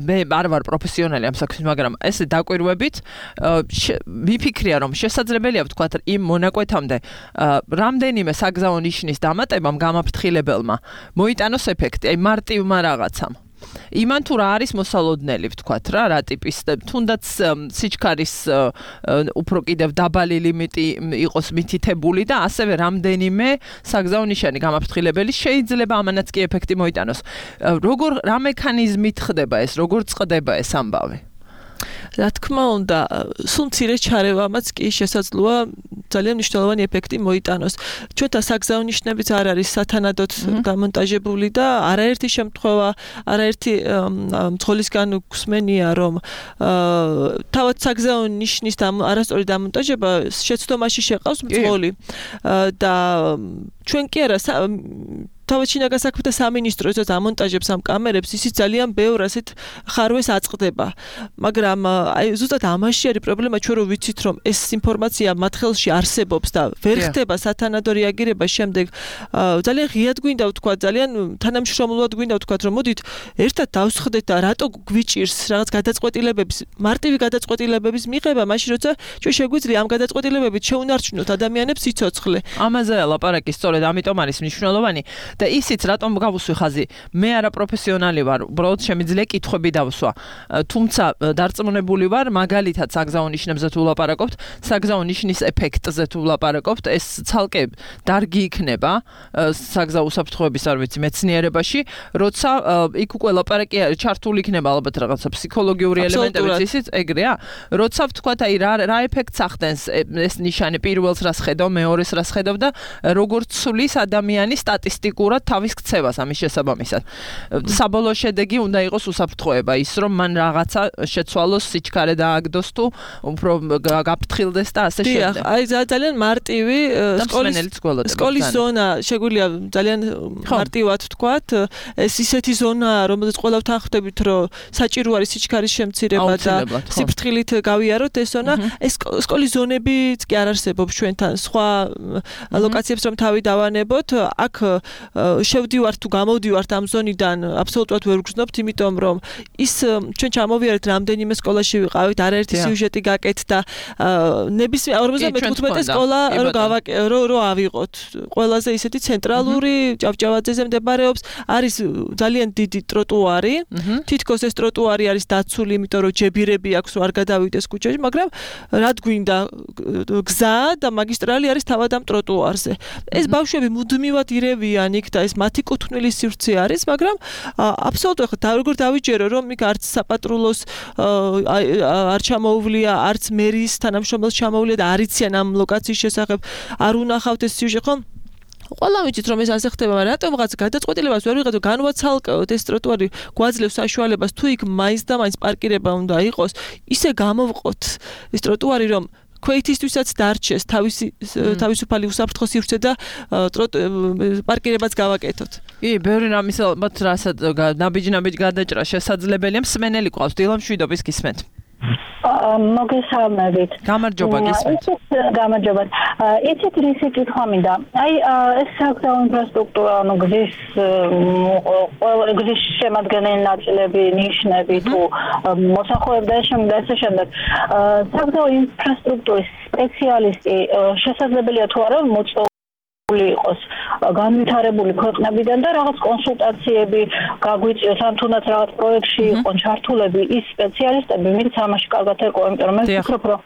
მე არ ვარ პროფესიონალი ამ საქმის, მაგრამ ესე დაკვირვებით ვიფიქრია, რომ შესაძლებელია ვთქვათ იმ მონაკვეთამდე რამდენიმე საგზაო ნიშნის დამატებამ გამაფრთხილებელმა მოიტანოს ეფექტი, აი მარტივმა რაღაცამ. იმან თუ რა არის მოსალოდნელი, ვთქვათ რა, რა ტიპის, თუნდაც სიჩქარის უფრო კიდევ დაბალი ლიმიტი იყოს მითითებული და ასევე რამდენიმე საგზაო ნიშანი გამაფრთხილებელი შეიძლება ამანაც კი ეფექტი მოიტანოს. როგორ რა მექანიზმით ხდება ეს, როგორ წყდება ეს ამბავი? რა თქმა უნდა, სულ მცირე ჩარევამაც კი შესაძლოა ძალიან მნიშვნელოვანი ეფექტი მოიტანოს. ჩვენთან საგზაო ნიშნებიც არ არის სათანადოდ დამონტაჟებული და არაერთი შემთხვევა, არაერთი მძღოლისგან გვსმენია, რომ თავად საგზაო ნიშნის არასწორი დამონტაჟება შეცდომაში შეყავს მძღოლი და ჩვენ კი არა თავად შინაგან საქმეთა სამინისტრო ეცოს ამონტაჟებს ამ კამერებს, ისიც ძალიან ბევრ ასეთ ხარვეს აწყდება. მაგრამ აი ზუსტად ამაში არის პრობლემა, ჩვენ რო ვიცით, რომ ეს ინფორმაცია მათ ხელში არსებობს და ვერ ხდება სათანადო რეაგირება შემდეგ, ძალიან ღიად გვინდა ვთქვა, ძალიან თანამშრომლულად გვინდა ვთქვა, რომ მოდით ერთად დავსხდეთ და რატო გვიჭირს რაღაც გადაწყვეტილებების, მარტივი გადაწყვეტილებების მიღება, მაშინ როცა ჩვენ შეგვიძლია ამ გადაწყვეტილებებით შეუნარჩუნოთ ადამიანებს სიცოცხლე. ამაზეა ლაპარაკი, სწორედ ამიტომ არის მნიშვნელოვანი. და ისიც რატომ გავუსვი ხაზი, მე არა პროფესიონალი ვარ, უბრალოდ შემიძლია კითხვები დავსვა. თუმცა დარწმუნებული ვარ, მაგალითად საგზაო ნიშნებზე თუ ვლაპარაკობთ, საგზაო ნიშნის ეფექტზე თუ ვლაპარაკობთ, ეს ცალკე დარგი იქნება საგზაო უსაფრთხოების, არ ვიცი, მეცნიერებაში, როცა იქ უკვე ლაპარაკი ჩართული იქნება ალბათ რაღაცა ფსიქოლოგიური ელემენტებიც, ისიც ეგრეა, როცა ვთქვათ, აი რა რა ეფექტს ახდენს ეს ნიშანი, პირველს რას ხედავ, მეორეს რას ხედავ და როგორც სulis ადამიანის სტატისტიკურ თავის ქცევას ამის შესაბამისად. საბოლოო შედეგი უნდა იყოს უსაფრთხოება, ის რომ მან რაღაცა შეცვალოს, სიჩქარე დააგდოს თუ უფრო გაფრთხილდეს და ასე შემდეგ. დიახ, აი ძალიან მარტივი სკოლის ზონა შეგვიძლია ძალიან მარტივად ვთქვათ, ეს ისეთი ზონაა, რომელზეც ყველა ვთანხმდებით, რომ საჭირო არის სიჩქარის შემცირება და სიფრთხილით გავიაროთ ეს ზონა. ეს სკოლის ზონებიც კი არ არსებობს ჩვენთან, სხვა ლოკაციებს რომ თავი დავანებოთ, აქ შევდივართ თუ გამოვდივართ ამ ზონიდან აბსოლუტურად ვერ ვგრძნობთ, იმიტომ რომ ის ჩვენ ჩამოვიარეთ რამდენიმე სკოლაში ვიყავით, არაერთი სიუჟეტი გაკეთდა, ნებისმიერ ორმოცდამეთოთხმეტე სკოლა რო რო ავიღოთ. ყველაზე ისეთი ცენტრალური ჭავჭავაძეზე მდებარეობს, არის ძალიან დიდი ტროტუარი, თითქოს ეს ტროტუარი არის დაცული, იმიტომ რომ ჯებირები აქვს, რომ არ გადავიდეს ქუჩაში, მაგრამ რად გვინდა გზა და მაგისტრალი არის თავად ამ ტროტუარზე. ეს ბავშვები მუდმივად ირევიან იქ და ეს მათი კუთვნილის სივრცე არის, მაგრამ აბსოლუტურად ხა როგორ დავიჯერო, რომ იქ არც საპატრულოს არ ჩამოუვლია, არც მერის თანამშრომელს ჩამოუვლია და არ იციან ამ ლოკაციის შესახებ, არ უნახავთ ეს სიუჟეტი, ხო? ყველა ვიცით რომ ეს ასე ხდება, მაგრამ რატომ რაღაც გადაწყვეტილებას ვერ ვიღებთ, განვაცალკევთ ეს ტროტუარი გვაძლევს საშუალებას, თუ იქ მაინც და მაინც პარკირება უნდა იყოს, ისე გამოვყოთ ეს ტროტუარი, რომ ქვეითისთვისაც დარჩეს თავისი თავისუფალი უსაფრთხო სივრცე და პარკირებაც გავაკეთოთ. კი, ბევრი რამის ალბათ რასაც ნაბიჯ-ნაბიჯ გადაჭრა შესაძლებელია. მსმენელი ყავს, დილამ შვიდობის გისმენთ. მოგესალმებით. გამარჯობა გისმენთ. გამარჯობა. იცით რისი კითხვა მინდა? აი ეს საგზაო ინფრასტრუქტურა, ანუ გზის ყველა გზის შემადგენელი ნაწილები, ნიშნები თუ მოსახლეობა და შემდეგ ასე შემდეგ. საგზაო ინფრასტრუქტურის სპეციალისტი შესაძლებელია თუ არა მოწვეული იყოს განვითარებული ქვეყნებიდან და რაღაც კონსულტაციები გაგვიწიოს ან თუნდაც რაღაც პროექტში იყო ჩართულები ის სპეციალისტები, ვინც ამაში კარგად ეკო, იმიტომ რომ მე ვფიქრობ, რომ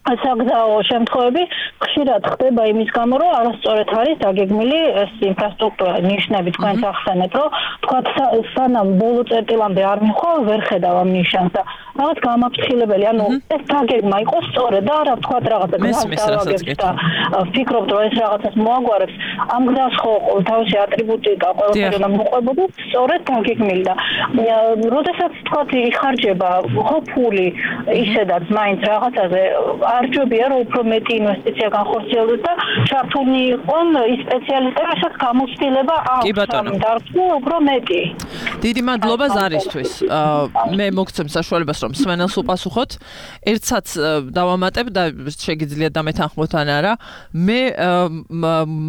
საგზაო შემთხვევები ხშირად ხდება იმის გამო, რომ არასწორად არის დაგეგმილი ეს ინფრასტრუქტურა, ნიშნები თქვენს ახსენეთ, რომ თქვათ სანამ ბოლო წერტილამდე არ მიხო, ვერ ხედავ ამ ნიშანს და რაღაც გამაფრთხილებელი, ანუ ეს დაგეგმა იყოს სწორად და არა თქვათ რაღაცა გავაგებს და ვფიქრობთ, რომ ეს რაღაცას მოაგვარებს, ამ გზას ხო თავისი ატრიბუტიკა ყველაფერი უნდა მოყვებოდეს სწორად დაგეგმილი და როდესაც თქვათ იხარჯება ხო ფული ისედაც მაინც რაღაცაზე არჯობია რომ უფრო მეტი ინვესტიცია განხორციელდეს და ჩართული იყვნენ ის სპეციალისტები, რასაც გამოცდილება აქვს ამ დარგში უფრო მეტი. დიდი მადლობა ზარისთვის. მე მოგცემ საშუალებას რომ მსმენელს უპასუხოთ. ერთსაც დავამატებ და შეგიძლიათ დამეთანხმოთ ან არა. მე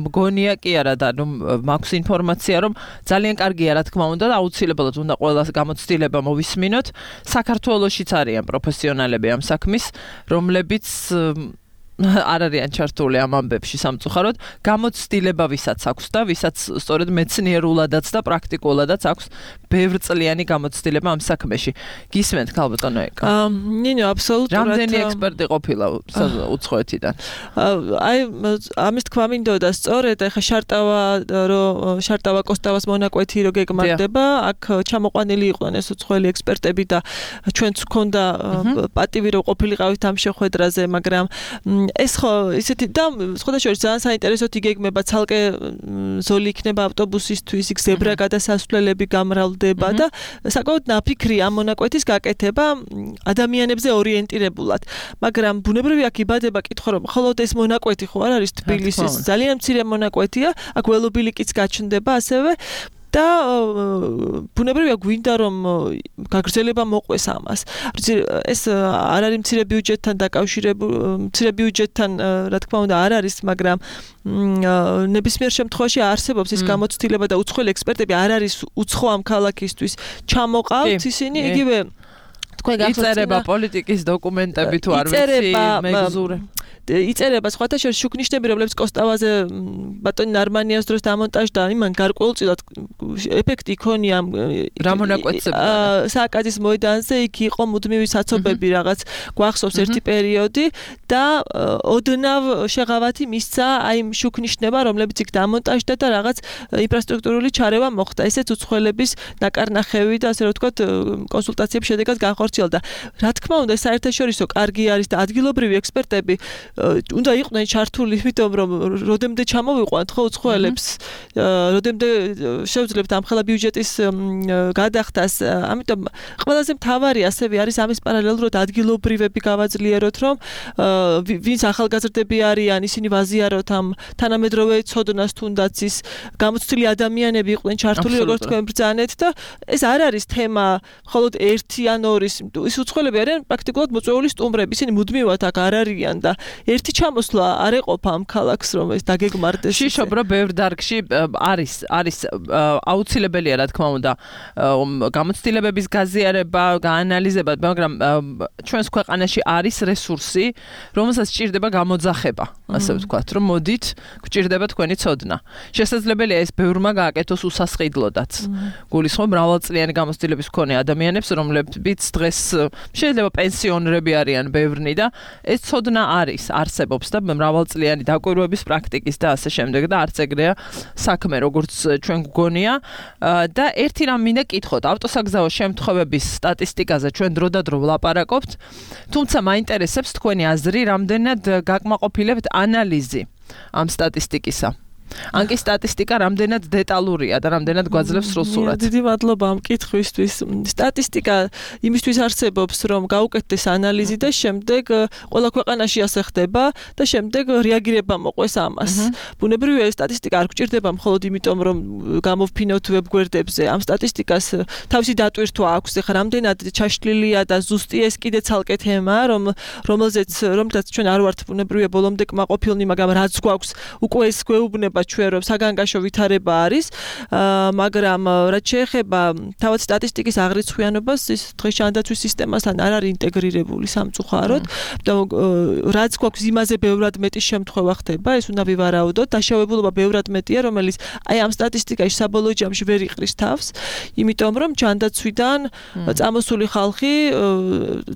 მგონია კი არა და რომ მაქვს ინფორმაცია რომ ძალიან კარგია რა თქმა უნდა და აუცილებლად უნდა ყველას გამოცდილება მოვისმინოთ. საქართველოშიც არიან პროფესიონალები ამ საქმის, რომლებიც არ არიან ჩართული ამ ამბებში სამწუხაროდ, გამოცდილება ვისაც აქვს და ვისაც სწორედ მეცნიერულადაც და პრაქტიკულადაც აქვს ბევრწლიანი გამოცდილება ამ საქმეში. გისმენთ ქალბატონო ეკა? ნინო, აბსოლუტურად. რამდენი ექსპერტი ყოფილა უცხოეთიდან? აი, ამის თქვა მინდოდა სწორედ, ეხა შარტავა რომ შარტავა კოსტავას მონაკვეთი რო გეგმარდება, აქ ჩამოყვანილი იყვნენ ეს უცხოელი ექსპერტები და ჩვენც გქონდა პატივი რომ ყოფილიყავით ამ შეხვედრაზე, მაგრამ ეს ხო ისეთი და სხვადასხვა ძალიან საინტერესო იგეგმება, ცალკე ზოლი იქნება ავტობუსისთვის, იქ ზებრა გადასასვლელები გამრავლდება და საკმაოდ ნაფიქრი ამ მონაკვეთის გაკეთება ადამიანებზე ორიენტირებულად. მაგრამ ბუნებრივია აქ იბადება კითხვა რომ მხოლოდ ეს მონაკვეთი ხო არ არის თბილისის ძალიან მცირე მონაკვეთია, აქ ველობილიკიც გაჩნდება ასევე და ბუნებრივია გვინდა რომ გაგრძელება მოყვეს ამას. ეს არ არის მცირე ბიუჯეტთან დაკავშირებული, მცირე ბიუჯეტთან რა თქმა უნდა არ არის, მაგრამ ნებისმიერ შემთხვევაში არსებობს ის გამოცდილება და უცხოელი ექსპერტები არ არის უცხო ამ ქალაქისთვის ჩამოყავთ ისინი იგივე თქვენ იწერება პოლიტიკის დოკუმენტები თუ არ ვიცი მეგზურე იწერება სხვათა შორის შუქნიშნები, რომლებიც კოსტავაზე ბატონი ნარმანიას დროს დამონტაჟდა, იმან გარკვეულწილად ეფექტი იქონია რა მონაკვეთზე სააკაძის მოედანზე, იქ იყო მუდმივი საცობები რაღაც გვახსოვს ერთი პერიოდი და ოდნავ შეღავათი მისცა აი იმ შუქნიშნება, რომლებიც იქ დამონტაჟდა და რაღაც ინფრასტრუქტურული ჩარევა მოხდა. ესეც უცხოელების ნაკარნახევი და ასე რომ ვთქვათ კონსულტაციების შედეგად განხორციელდა. რა თქმა უნდა, საერთაშორისო კარგი არის და ადგილობრივი ექსპერტები უნდა იყვნენ ჩართული, იმიტომ რომ როდემდე ჩამოვიყვანთ ხო უცხოელებს, როდემდე შევძლებთ ამხელა ბიუჯეტის გადახდას, ამიტომ ყველაზე მთავარი ასევე არის ამის პარალელურად ადგილობრივები გავაძლიეროთ, რომ ვინც ახალგაზრდები არიან, ისინი ვაზიაროთ ამ თანამედროვე ცოდნას თუნდაც ის გამოცდილი ადამიანები იყვნენ ჩართული, როგორც თქვენ ბრძანეთ და ეს არ არის თემა მხოლოდ ერთი ან ორი, ის უცხოელები არიან პრაქტიკულად მოწვეული სტუმრები, ისინი მუდმივად აქ არ არიან და ერთი ჩამოსვლა არ ეყოფა ამ ქალაქს რომ ეს დაგეგმარდეს. შიშობ რომ ბევრ დარგში არის არის აუცილებელია რა თქმა უნდა გამოცდილებების გაზიარება, გაანალიზება, მაგრამ ჩვენს ქვეყანაში არის რესურსი, რომელსაც სჭირდება გამოძახება, ასე ვთქვათ, რომ მოდით, გჭირდება თქვენი ცოდნა. შესაძლებელია ეს ბევრმა გააკეთოს უსასყიდლოდაც. გულისხმობ მრავალწლიანი გამოცდილების მქონე ადამიანებს, რომლებიც დღეს შეიძლება პენსიონერები არიან ბევრნი და ეს ცოდნა არის არსებობს და მრავალწლიანი დაკვირვების პრაქტიკის და ასე შემდეგ და არც ეგრეა საქმე როგორც ჩვენ გვგონია და ერთი რამ მინდა კითხოთ ავტოსაგზაო შემთხვევების სტატისტიკაზე ჩვენ დრო და დრო ვლაპარაკობთ, თუმცა მაინტერესებს თქვენი აზრი, რამდენად გაკმაყოფილებთ ანალიზი ამ სტატისტიკისა. ან კი სტატისტიკა რამდენად დეტალურია და რამდენად გვაძლევს სრულ სურათს. დიდი მადლობა ამ კითხვისთვის. სტატისტიკა იმისთვის არსებობს, რომ გაუკეთდეს ანალიზი და შემდეგ ყველა ქვეყანაში ასე ხდება და შემდეგ რეაგირება მოყვეს ამას. ბუნებრივია სტატისტიკა არ გვჭირდება მხოლოდ იმიტომ, რომ გამოვფინოთ ვებგვერდებზე. ამ სტატისტიკას თავისი დატვირთვა აქვს. ეხლა რამდენად ჩაშლილია და ზუსტი ეს კიდე ცალკე თემაა, რომ რომელზეც რომელთაც ჩვენ არ ვართ ბუნებრივია ბოლომდე კმაყოფილნი, მაგრამ რაც გვაქვს უკვე ეს გვეუბნება ჩვენ რომ საგანგაშო ვითარება არის, მაგრამ რაც შეეხება თავად სტატისტიკის აღრიცხვიანობას, ის დღეს ჯანდაცვის სისტემასთან არ არის ინტეგრირებული სამწუხაროდ და რაც გვაქვს იმაზე ბევრად მეტი შემთხვევა ხდება, ეს უნდა ვივარაუდოთ, დაშავებულობა ბევრად მეტია, რომელიც აი ამ სტატისტიკაში საბოლოო ჯამში ვერ იყრის თავს, იმიტომ რომ ჯანდაცვიდან წამოსული ხალხი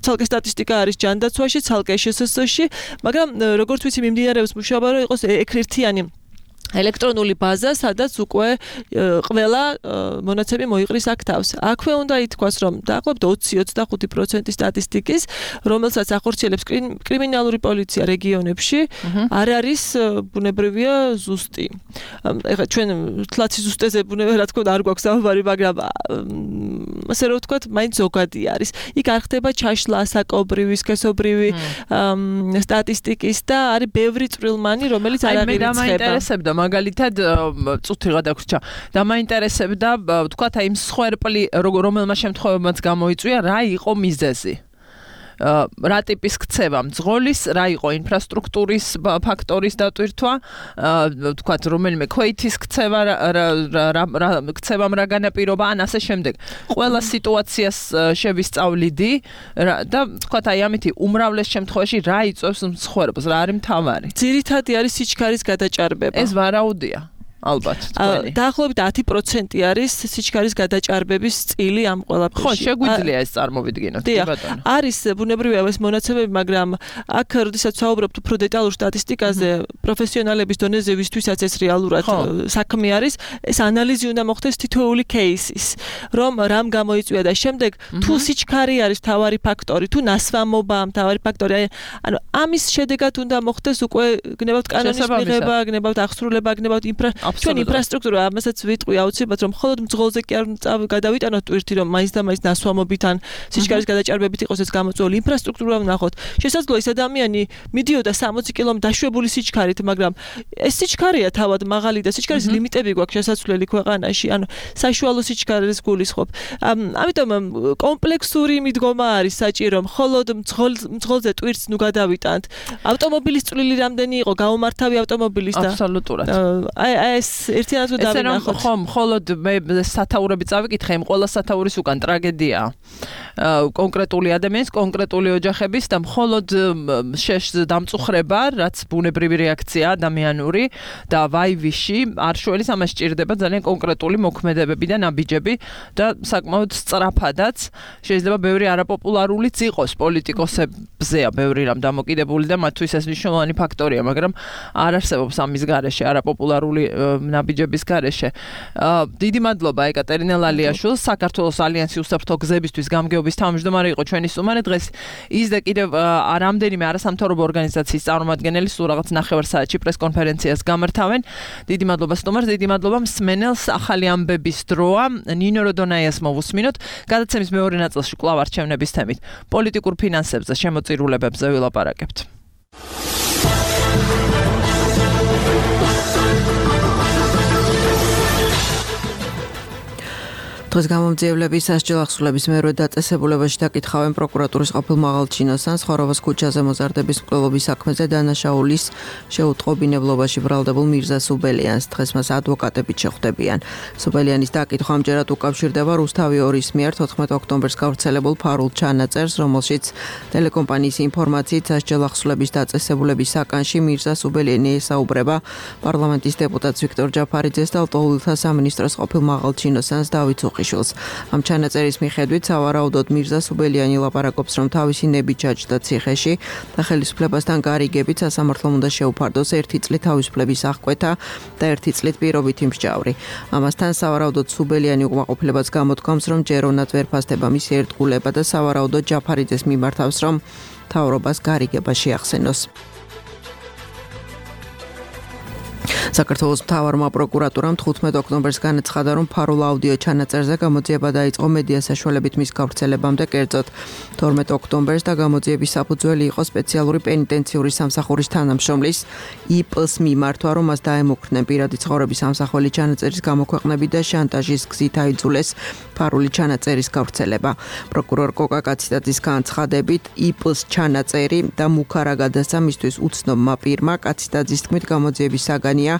ცალკე სტატისტიკა არის ჯანდაცვაში, ცალკე შსს-ში, მაგრამ როგორც ვიცი მიმდინარეობს მუშაობა, რომ იყოს ერთიანი ელექტრონული ბაზა, სადაც უკვე ყველა მონაცემი მოიყრის აქ თავს. აქვე უნდა ითქვას, რომ დაახლოებით ოცი ოცდახუთი პროცენტი სტატისტიკის, რომელსაც ახორციელებს კრიმინალური პოლიცია რეგიონებში, არ არის ბუნებრივია ზუსტი. ეხლა ჩვენ თლაცი ზუსტეზე ბუნებრივია რა თქმა უნდა არ გვაქვს საუბარი, მაგრამ ასე რომ ვთქვათ, მაინც ზოგადი არის. იქ არ ხდება ჩაშლა ასაკობრივი, სქესობრივი სტატისტიკის და არის ბევრი წვრილმანი, რომელიც არ აღირიცხება. მაგალითად წუთიღა დაგვრჩა და მაინტერესებდა ვთქვათ აი მსხვერპლი რომელმა შემთხვევებმაც გამოიწვია რა იყო მიზეზი რა ტიპის ქცევა მძღოლის, რა იყო ინფრასტრუქტურის ფაქტორის დატვირთვა, თქვათ რომელიმე ქვეითის ქცევა, რა ქცევამ რა განაპირობა, ან ასე შემდეგ. ყველა სიტუაციას შევისწავლიდი და თქვათ აი ამითი უმრავლეს შემთხვევაში რა იწვევს მსხვერპლს, რა არის მთავარი. ძირითადი არის სიჩქარის გადაჭარბება. ეს ვარაუდია. ალბათ თქვენი. დაახლოებით ათი პროცენტი არის სიჩქარის გადაჭარბების წილი ამ ყველაფერში. ხო, შეგვიძლია ეს წარმოვიდგინოთ, კი ბატონო. არის ბუნებრივია ეს მონაცემები, მაგრამ აქ როდესაც ვსაუბრობთ უფრო დეტალურ სტატისტიკაზე, პროფესიონალების დონეზე ვისთვისაც ეს რეალურად საქმე არის, ეს ანალიზი უნდა მოხდეს თითოეული кейსის, რომ რამ გამოიწვია და შემდეგ თუ სიჩქარე არის მთავარი ფაქტორი, თუ ნასვამობა მთავარი ფაქტორი, ანუ ამის შედეგად უნდა მოხდეს უკვე გნებავთ კანონის მიღება, გნებავთ აღსრულება, გნებავთ ინფრა ჩვენი ინფრასტრუქტურა, ამასაც ვიტყვი აუცილებლად, რომ მხოლოდ მძღოლზე კი არ გადავიტანოთ ტვირთი, რომ მაინც და მაინც ნასვამობით ან სიჩქარის გადაჭარბებით იყოს ეს გამოწვეული ინფრასტრუქტურა ვნახოთ. შესაძლოა ეს ადამიანი მიდიოდა სამოცი კილომეტრ დაშვებული სიჩქარით, მაგრამ ეს სიჩქარეა თავად მაღალი და სიჩქარის ლიმიტები გვაქვს შესაძლებელი ქვეყანაში, ანუ საშუალო სიჩქარეს გულისხმობ. ამიტომ კომპლექსური მიდგომა არის საჭირო, მხოლოდ მძღოლზე ტვირთს ნუ გადავიტანთ. ავტომობილის წვლილი რამდენი იყო, გაუმართავი ავტომობილის და აბსოლუტურად. აი ეს ერთიანად დავინახოთ. ხო, მხოლოდ მე სათაურები წავიკითხე, იმ ყველა სათაურის უკან ტრაგედია. კონკრეტული ადამიანის, კონკრეტული ოჯახების და მხოლოდ შეშ დამწუხრება, რაც ბუნებრივი რეაქცია ადამიანური და ვაივიში არ შველის ამას სჭირდება ძალიან კონკრეტული მოქმედებები და ნაბიჯები და საკმაოდ სწრაფადაც შეიძლება ბევრი არაპოპულარულიც იყოს პოლიტიკოსებზეა ბევრი რამ დამოკიდებული და მათთვის ეს მნიშვნელოვანი ფაქტორია, მაგრამ არ არსებობს ამის გარეშე არაპოპულარული ნაბიჯების გარეშე. დიდი მადლობა ეკატერინა ლალიაშვილს, საქართველოს ალიანსი უსაფრთხო გზებისთვის გამგეობის თავმჯდომარე იყო ჩვენი სტუმარი. დღეს ის და კიდევ რამდენიმე არასამთავრობო ორგანიზაციის წარმომადგენელი სულ რაღაც ნახევარ საათში პრესკონფერენციას გამართავენ. დიდი მადლობა სტუმარს, დიდი მადლობა მსმენელს. ახალი ამბების დროა. ნინო როდონაიას მოვუსმინოთ. გადაცემის მეორე ნაწილში კვლავ არჩევნების თემით პოლიტიკურ ფინანსებზე, შემოწირულებებზე ვილაპარაკებთ. დღეს გამომძიებლების სასჯელ ახსულების მერვე დაწესებულებაში დაკითხავენ პროკურატურის ყოფილ მაღალჩინოსან ხროვოს ქუჩაზე მოზარდების მკვლელობის საქმეზე დანაშაულის შეუტყობინებლობაში ბრალდებულ მირზა სუბელიანს. დღეს მას ადვოკატებით შეხვდებიან. სუბელიანის დაკითხვა ამჯერად უკავშირდება რუსთავი ორის მიერ თოთხმეტ ოქტომბერს გავრცელებულ ფარულ ჩანაწერს, რომელშიც ტელეკომპანიის ინფორმაციით სასჯელ ახსულების დაწესებულების საკანში მირზა სუბელიანი ესაუბრება პარლამენტის დეპუტატს ვიქტორ ჯაფარიძეს და ლტოლვილთა სამინისტროს ყოფილ მაღალჩინოსანს დავით ამ ჩანაწერის მიხედვით სავარაუდოდ მირზა სუბელიანი ლაპარაკობს, რომ თავისი ნები ჩაჯდა ციხეში და ხელისუფლებასთან გარიგებით სასამართლომ უნდა შეუფარდოს ერთი წლით თავისუფლების აღკვეთა და ერთი წლით პირობითი მსჯავრი. ამასთან სავარაუდოდ სუბელიანი უკმაყოფილებას გამოთქვამს, რომ ჯერონად ვერ ფასდება მისი ერთგულება და სავარაუდოდ ჯაფარიძეს მიმართავს, რომ მთავრობას გარიგება შეახსენოს. საქართველოს მთავარმა პროკურატურამ თხუთმეტ ოქტომბერს განაცხადა, რომ ფარულ აუდიო ჩანაწერზე გამოძიება დაიწყო მედია საშუალებით მის გავრცელებამდე, კერძოდ თორმეტ ოქტომბერს და გამოძიების საფუძველი იყო სპეციალური პენიტენციური სამსახურის თანამშრომლის იპ-ს მიმართვა, რომ მას დაემუქრნენ პირადი ცხოვრების სამსახველი ჩანაწერის გამოქვეყნებით და შანტაჟის გზით აიძულეს ფარული ჩანაწერის გავრცელება. პროკურორ კოკა კაციტაძის განცხადებით, იპ-ს ჩანაწერი და მუქარა გადასცა მისთვის უცნობმა პირმა. კაციტაძის თქმით, გამოძიების საგანია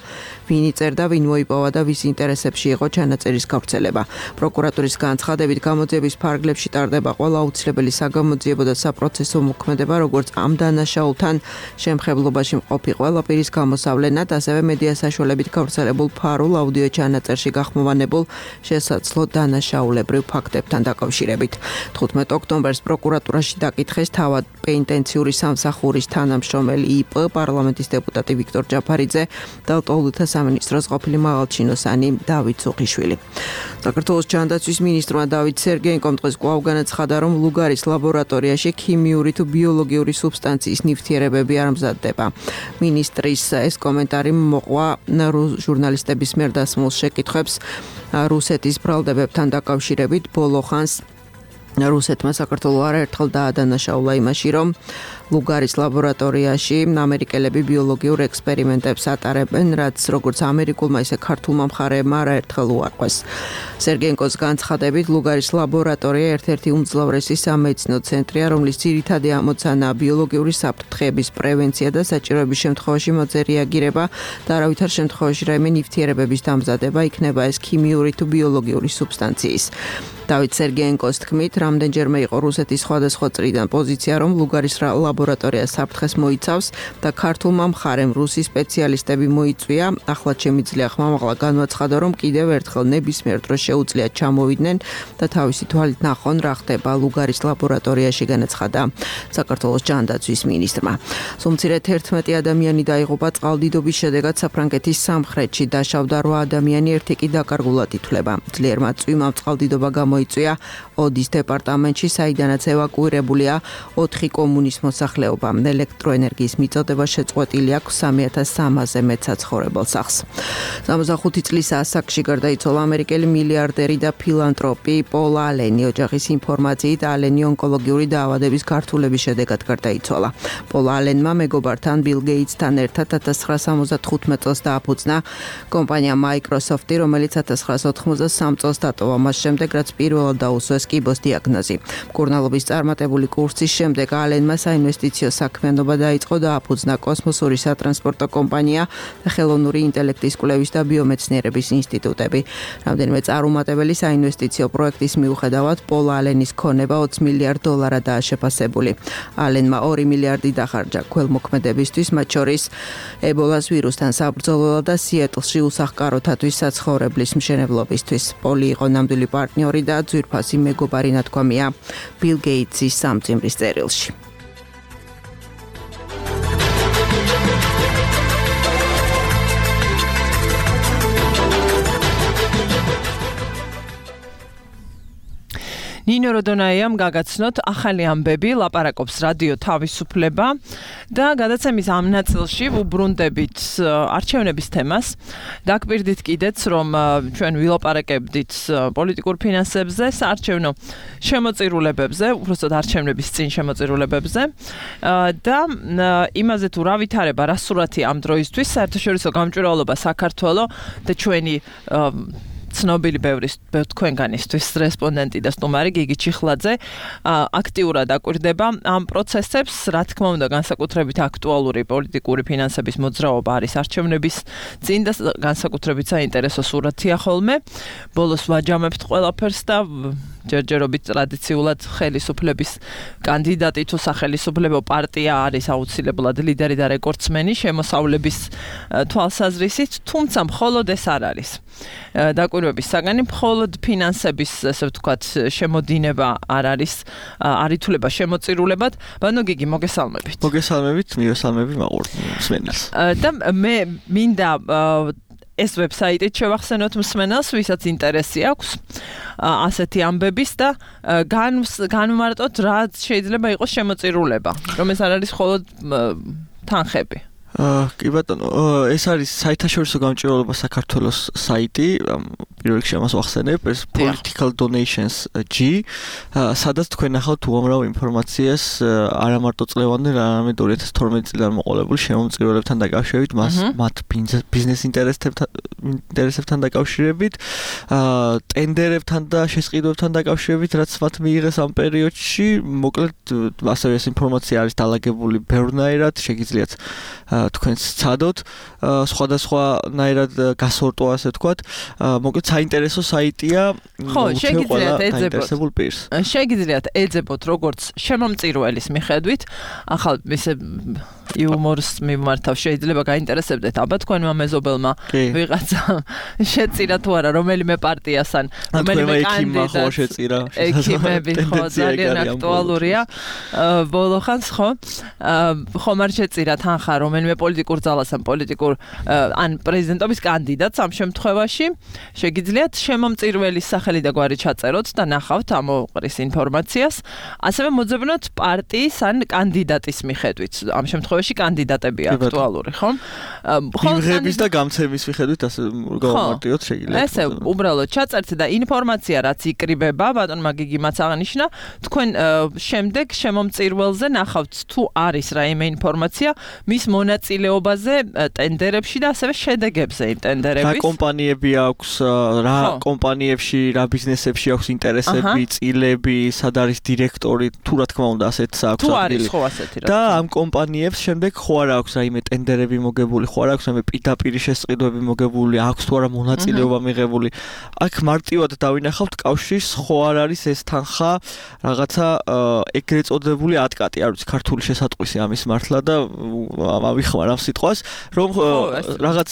ვინ იწერდა, ვინ მოიპოვა და ვის ინტერესებში იყო ჩანაწერის გავრცელება. პროკურატურის განცხადებით, გამოძიების ფარგლებში ტარდება ყველა აუცილებელი საგამოძიებო და საპროცესო მოქმედება, როგორც ამ დანაშაულთან შემხებლობაში მყოფი ყველა პირის გამოსავლენად, ასევე მედია საშუალებით გავრცელებულ ფარულ აუდიო ჩანაწერში გახმოვანებულ შესაძლო დანაშაულებრივ ფაქტებთან დაკავშირებით. თხუთმეტ ოქტომბერს პროკურატურაში დაკითხეს თავად პენიტენციური სამსახურის თანამშრომელი იპ, პარლამენტის დეპუტატი ვიქტორ ჯაფარიძე და ლტოლვილთა სამინისტროს ყოფილი მაღალჩინოსანი დავით სუხიშვილი. საქართველოს ჯანდაცვის მინისტრმა დავით სერგეენკომ დღეს კვლავ განაცხადა, რომ ლუგარის ლაბორატორიაში ქიმიური თუ ბიოლოგიური სუბსტანციის ნივთიერებები არ მზადდება. მინისტრის ეს კომენტარი მოყვა ჟურნალისტების მიერ დასმულ შეკითხვებს რუსეთის ბრალდებებთან დაკავშირებით. ბოლო ხანს რუსეთმა საქართველოს არაერთხელ დაადანაშაულა იმაში, რომ ლუგარის ლაბორატორიაში ამერიკელები ბიოლოგიურ ექსპერიმენტებს ატარებენ, რაც როგორც ამერიკულმა, ისე ქართულმა მხარეებმა არაერთხელ უარყვეს. სერგენკოს განცხადებით, ლუგარის ლაბორატორია ერთ-ერთი უმძლავრესი სამედიცინო ცენტრია, რომლის ძირითადი ამოცანაა ბიოლოგიური საფრთხეების პრევენცია და საჭიროების შემთხვევაში მოძე რეაგირება და არავითარ შემთხვევაში რაიმე ნივთიერებების დამზადება, იქნება ეს ქიმიური თუ ბიოლოგიური სუბსტანციის. დავით სერგენკოს თქმით, რამდენჯერმე იყო რუსეთის სხვადასხვა წრიდან პოზიცია, რომ ლუგარის ლაბორატორია საფრთხეს მოიცავს და ქართულმა მხარემ რუსი სპეციალისტები მოიწვია. ახლა შემიძლია ხმამაღლა განვაცხადა, რომ კიდევ ერთხელ ნებისმიერ დროს შეუძლია ჩამოვიდნენ და თავისი თვალით ნახონ, რა ხდება ლუგარის ლაბორატორიაში, განაცხადა საქართველოს ჯანდაცვის მინისტრმა. სულ თერთმეტი ადამიანი დაიღუპა წყალდიდობის შედეგად საფრანგეთის სამხრეთში, დაშავდა რვა ადამიანი, ერთი კი დაკარგულად ითვლება. ძლიერმა წვიმამ წყალდიდობა გამო იწვია ოდის დეპარტამენტში, საიდანაც ევაკუირებულია ოთხი კომუნის მოსახლეობა. ელექტროენერგიის მიწოდება შეწყვეტილი აქვს სამი ათას სამასზე მეტ საცხოვრებელ სახლს. სამოცდახუთი წლის ასაკში გარდაიცვალა ამერიკელი მილიარდერი და ფილანტროპი პოლ ალენი. ოჯახის ინფორმაციით, ალენი ონკოლოგიური დაავადების გართულების შედეგად გარდაიცვალა. პოლ ალენმა მეგობართან ბილ გეიტსთან ერთად ათას ცხრაასა სამოცდათხუთმეტ წელს დააფუძნა კომპანია Microsoft-ი, რომელიც ათას ცხრაასა ოთხმოცდასამ წელს დატოვა, მას შემდეგ რაც პირველად დაუსვეს კიბოს დიაგნოზი. მკურნალობის წარმატებული კურსის შემდეგ ალენმა საინვესტიციო საქმიანობა დაიწყო და აფუძნა კოსმოსური სატრანსპორტო კომპანია და ხელოვნური ინტელექტის კვლევის და ბიომეცნიერების ინსტიტუტები. რამდენიმე წარუმატებელი საინვესტიციო პროექტის მიუხედავად, პოლ ალენის ქონება ოცი მილიარდ დოლარადაა შეფასებული. ალენმა ორი მილიარდი დახარჯა ქველმოქმედებისთვის, მათ შორის ებოლას ვირუსთან საბრძოლველად და სიეტლში უსახკაროთათვის საცხოვრებლის მშენებლობისთვის. პოლი იყო ნამდვილი პარტნიორი და ძვირფასი მეგობარი, ნათქვამია ბილ გეიტსის სამწიმრის წერილში. ნინო როდონაიამ გაგაცნოთ ახალი ამბები, ლაპარაკობს რადიო თავისუფლება და გადაცემის ამ ნაწილში ვუბრუნდებით არჩევნების თემას. დაგპირდით კიდეც, რომ ჩვენ ვილაპარაკებდით პოლიტიკურ ფინანსებზე, საარჩევნო შემოწირულებებზე, უბრალოდ არჩევნების წინ შემოწირულებებზე და იმაზე თუ რა ვითარება, რა სურათი ამ დროისთვის, საერთაშორისო გამჭვირვალობა საქართველო და ჩვენი ცნობილი ბევრი თქვენგანისთვის რესპონდენტი და სტუმარი გიგი ჩიხლაძე აქტიურად აკვირდება ამ პროცესებს, რა თქმა უნდა, განსაკუთრებით აქტუალური პოლიტიკური ფინანსების მოძრაობა არის არჩევნების წინ და განსაკუთრებით საინტერესო სურათია ხოლმე. ბოლოს ვაჯამებთ ყველაფერს და ჯერჯერობით ტრადიციულად ხელისუფლების კანდიდატი თუ სახელისუფლებო პარტია არის აუცილებლად ლიდერი და რეკორდსმენი შემოსავლების თვალსაზრისით, თუმცა მხოლოდ ეს არ არის. დაკვირვების საგანი მხოლოდ ფინანსების, ასე ვთქვათ, შემოდინება არ არის, არ ითვლება შემოწირულებად. ბანო გიგი, მოგესალმებით. მოგესალმებით, მივესალმები მაყურებელს. და მე მინდა ეს ვებსაიტით შევახსენოთ მსმენელს, ვისაც ინტერესი აქვს ასეთი ამბების და განვმარტოთ რა შეიძლება იყოს შემოწირულება, რომ ეს არ არის მხოლოდ თანხები. კი ბატონო, ეს არის საერთაშორისო გამჭვირვალობა საქართველოს საიტი, პირველ რიგში ამას ვახსენებ, ეს Political Donations G, სადაც თქვენ ახავთ უამრავ ინფორმაციას არა მარტო წლევანდელ, არამედ ორი ათას თორმეტი წლიდან მოყოლებულ შემომწირულებთან დაკავშირებით, მათ ბიზნეს ინტერესებთან დაკავშირებით, ტენდერებთან და შესყიდვებთან დაკავშირებით, რაც მათ მიიღეს ამ პერიოდში, მოკლედ ასევე ეს ინფორმაცია არის დალაგებული ბევრნაირად, შეგიძლიათ თქვენს ცადოთ, სხვადასხვანაირად გასორტო, ასე ვთქვათ, მოკლედ საინტერესო საიტია. ხო, შეგიძლიათ ეძებოთ პირს. შეგიძლიათ ეძებოთ როგორც შემომწირველის მიხედვით, ახალ ისე იუმორს მიმართავ, შეიძლება გაინტერესებდეთ აბა თქვენმა მეზობელმა ვიღაცა შეწირა თუ არა რომელიმე პარტიას ან რომელიმე კანდიდატს შეწირა. ექიმები ხო ძალიან აქტუალურია. ბოლო ხანს ხო ხომ არ შეწირა თანხა რომელიმე პოლიტიკურ ძალას ან პოლიტიკურ ან პრეზიდენტობის კანდიდატს ამ შემთხვევაში შეგიძლიათ შემომწირველის სახელი და გვარი ჩაწეროთ და ნახავთ ამ ოყრის ინფორმაციას. ასევე მოძებნოთ პარტიის ან კანდიდატის მიხედვით. ამ შემთხვევაში შემთხვევაში კანდიდატები აქტუალური, ხო? იმღების და გამცემის მიხედვით ასე გავამარტივოთ შეიძლება. ესე უბრალოდ ჩაწერთ და ინფორმაცია რაც იკრიბება, ბატონმა გიგიმაც აღნიშნა, თქვენ შემდეგ შემომწირველზე ნახავთ თუ არის რაიმე ინფორმაცია მის მონაწილეობაზე ტენდერებში და ასევე შედეგებზე იმ ტენდერების. რა კომპანიები აქვს, რა კომპანიებში, რა ბიზნესებში აქვს ინტერესები, წილები, სად არის დირექტორი, თუ რა თქმა უნდა ასეთს აქვს თუ არის ხო ასეთი რა. და ამ კომპანიებს შემდეგ ხო არ აქვს რაიმე ტენდერები მოგებული, ხო არ აქვს რაიმე პირდაპირ შესყიდვები მოგებული, აქვს თუ არა მონაწილეობა მიღებული. აქ მარტივად დავინახავთ კავშირს, ხო არ არის ეს თანხა რაღაცა ეგრეთ წოდებული ატკატი, არ ვიცი ქართული შესატყვისი ამის მართლა და ავიხმარ ამ სიტყვას, რომ რაღაც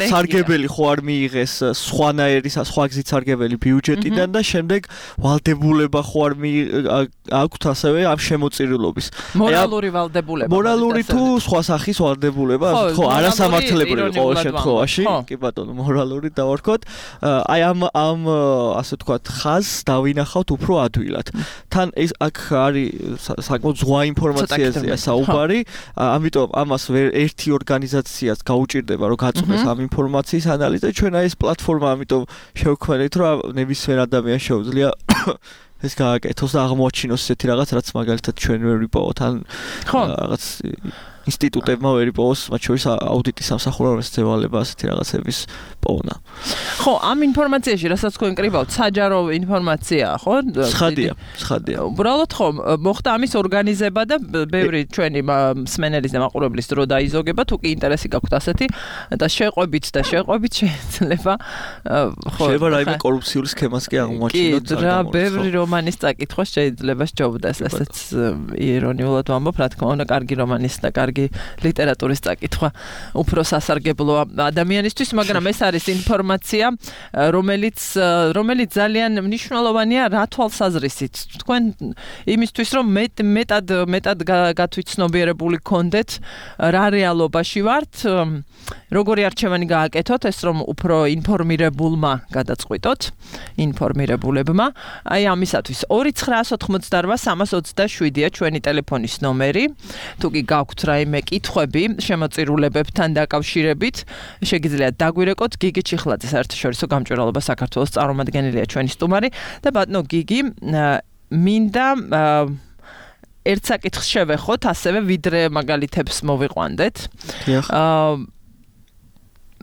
სარგებელი ხო არ მიიღეს სხვანაირი სხვა გზით სარგებელი ბიუჯეტიდან და შემდეგ ვალდებულება ხო არ აქვთ ასევე ამ შემოწირულობის. მორალური ვალდებულება. მორალური თუ სხვა სახის ვალდებულება, ხო, არასამართლებრივი ყოველ შემთხვევაში. კი ბატონო, მორალური დავარქოთ. აი ამ ამ ასე ვთქვათ, ხაზს დავინახავთ უფრო ადვილად. თან ეს აქ არის საკმაოდ ზღვა ინფორმაციაზეა საუბარი, ამიტომ ამას ერთი ორგანიზაციას გაუჭირდება რომ გაწყვეტს ამ ინფორმაციის ანალიზი და ჩვენ აი ეს პლატფორმა ამიტომ შევქმნით რომ ნებისმიერ ადამიანს შეუძლია ეს გააკეთოს და აღმოაჩინოს ესეთი რაღაც რაც მაგალითად ჩვენ ვერ ვიპოვოთ ან რაღაც ინსტიტუტებმა ვერ იპოვოს მათ შორის აუდიტის სამსახურებას ევალება ასეთი რაღაცების პოვნა. ხო, ამ ინფორმაციაში რასაც თქვენ კრიბავთ, საჯარო ინფორმაციაა, ხო? ცხადია, ცხადია. უბრალოდ ხო, მოხდა ამის ორგანიზება და ბევრი ჩვენი მსმენელის და მაყურებლის დრო დაიზოგება, თუ კი ინტერესი გაქვთ ასეთი და შეყვებით და შეყვებით შეიძლება ხო. შეიძლება რაიმე კორუფციული სქემას კი აღმოაჩინოთ. კი, რა, ბევრი რომანის წაკითხვა შეიძლება სჯობდეს, ესეც ირონიულად ვამბობ, რა თქმა უნდა, კარგი რომანის და კარგი ლიტერატურის წაკითხვა უფრო სასარგებლოა ადამიანისთვის, მაგრამ ეს არის ინფორმაცია, რომელიც რომელიც ძალიან მნიშვნელოვანია რა თვალსაზრისით. თქვენ იმისთვის რომ მეტ მეტად მეტად გათვითცნობიერებული გქონდეთ რა რეალობაში ვართ, როგორი არჩევანი გააკეთოთ, ეს რომ უფრო ინფორმირებულმა გადაწყვიტოთ, ინფორმირებულებმა. აი ამისათვის ორი ცხრა ოთხმოცდარბა სამას ოცდაშვიდია ჩვენი ტელეფონის ნომერი. თუ კი გაქვთ რაიმე კითხვები შემოწირულებებთან დაკავშირებით, შეგიძლიათ დაგვირეკოთ. გიგი ჩიხლაძე საერთაშორისო გამჭვირვალობა საქართველოს წარმომადგენელია ჩვენი სტუმარი და ბატონო გიგი, მინდა ერთ საკითხს შევეხოთ, ასევე ვიდრე მაგალითებს მოვიყვანდეთ.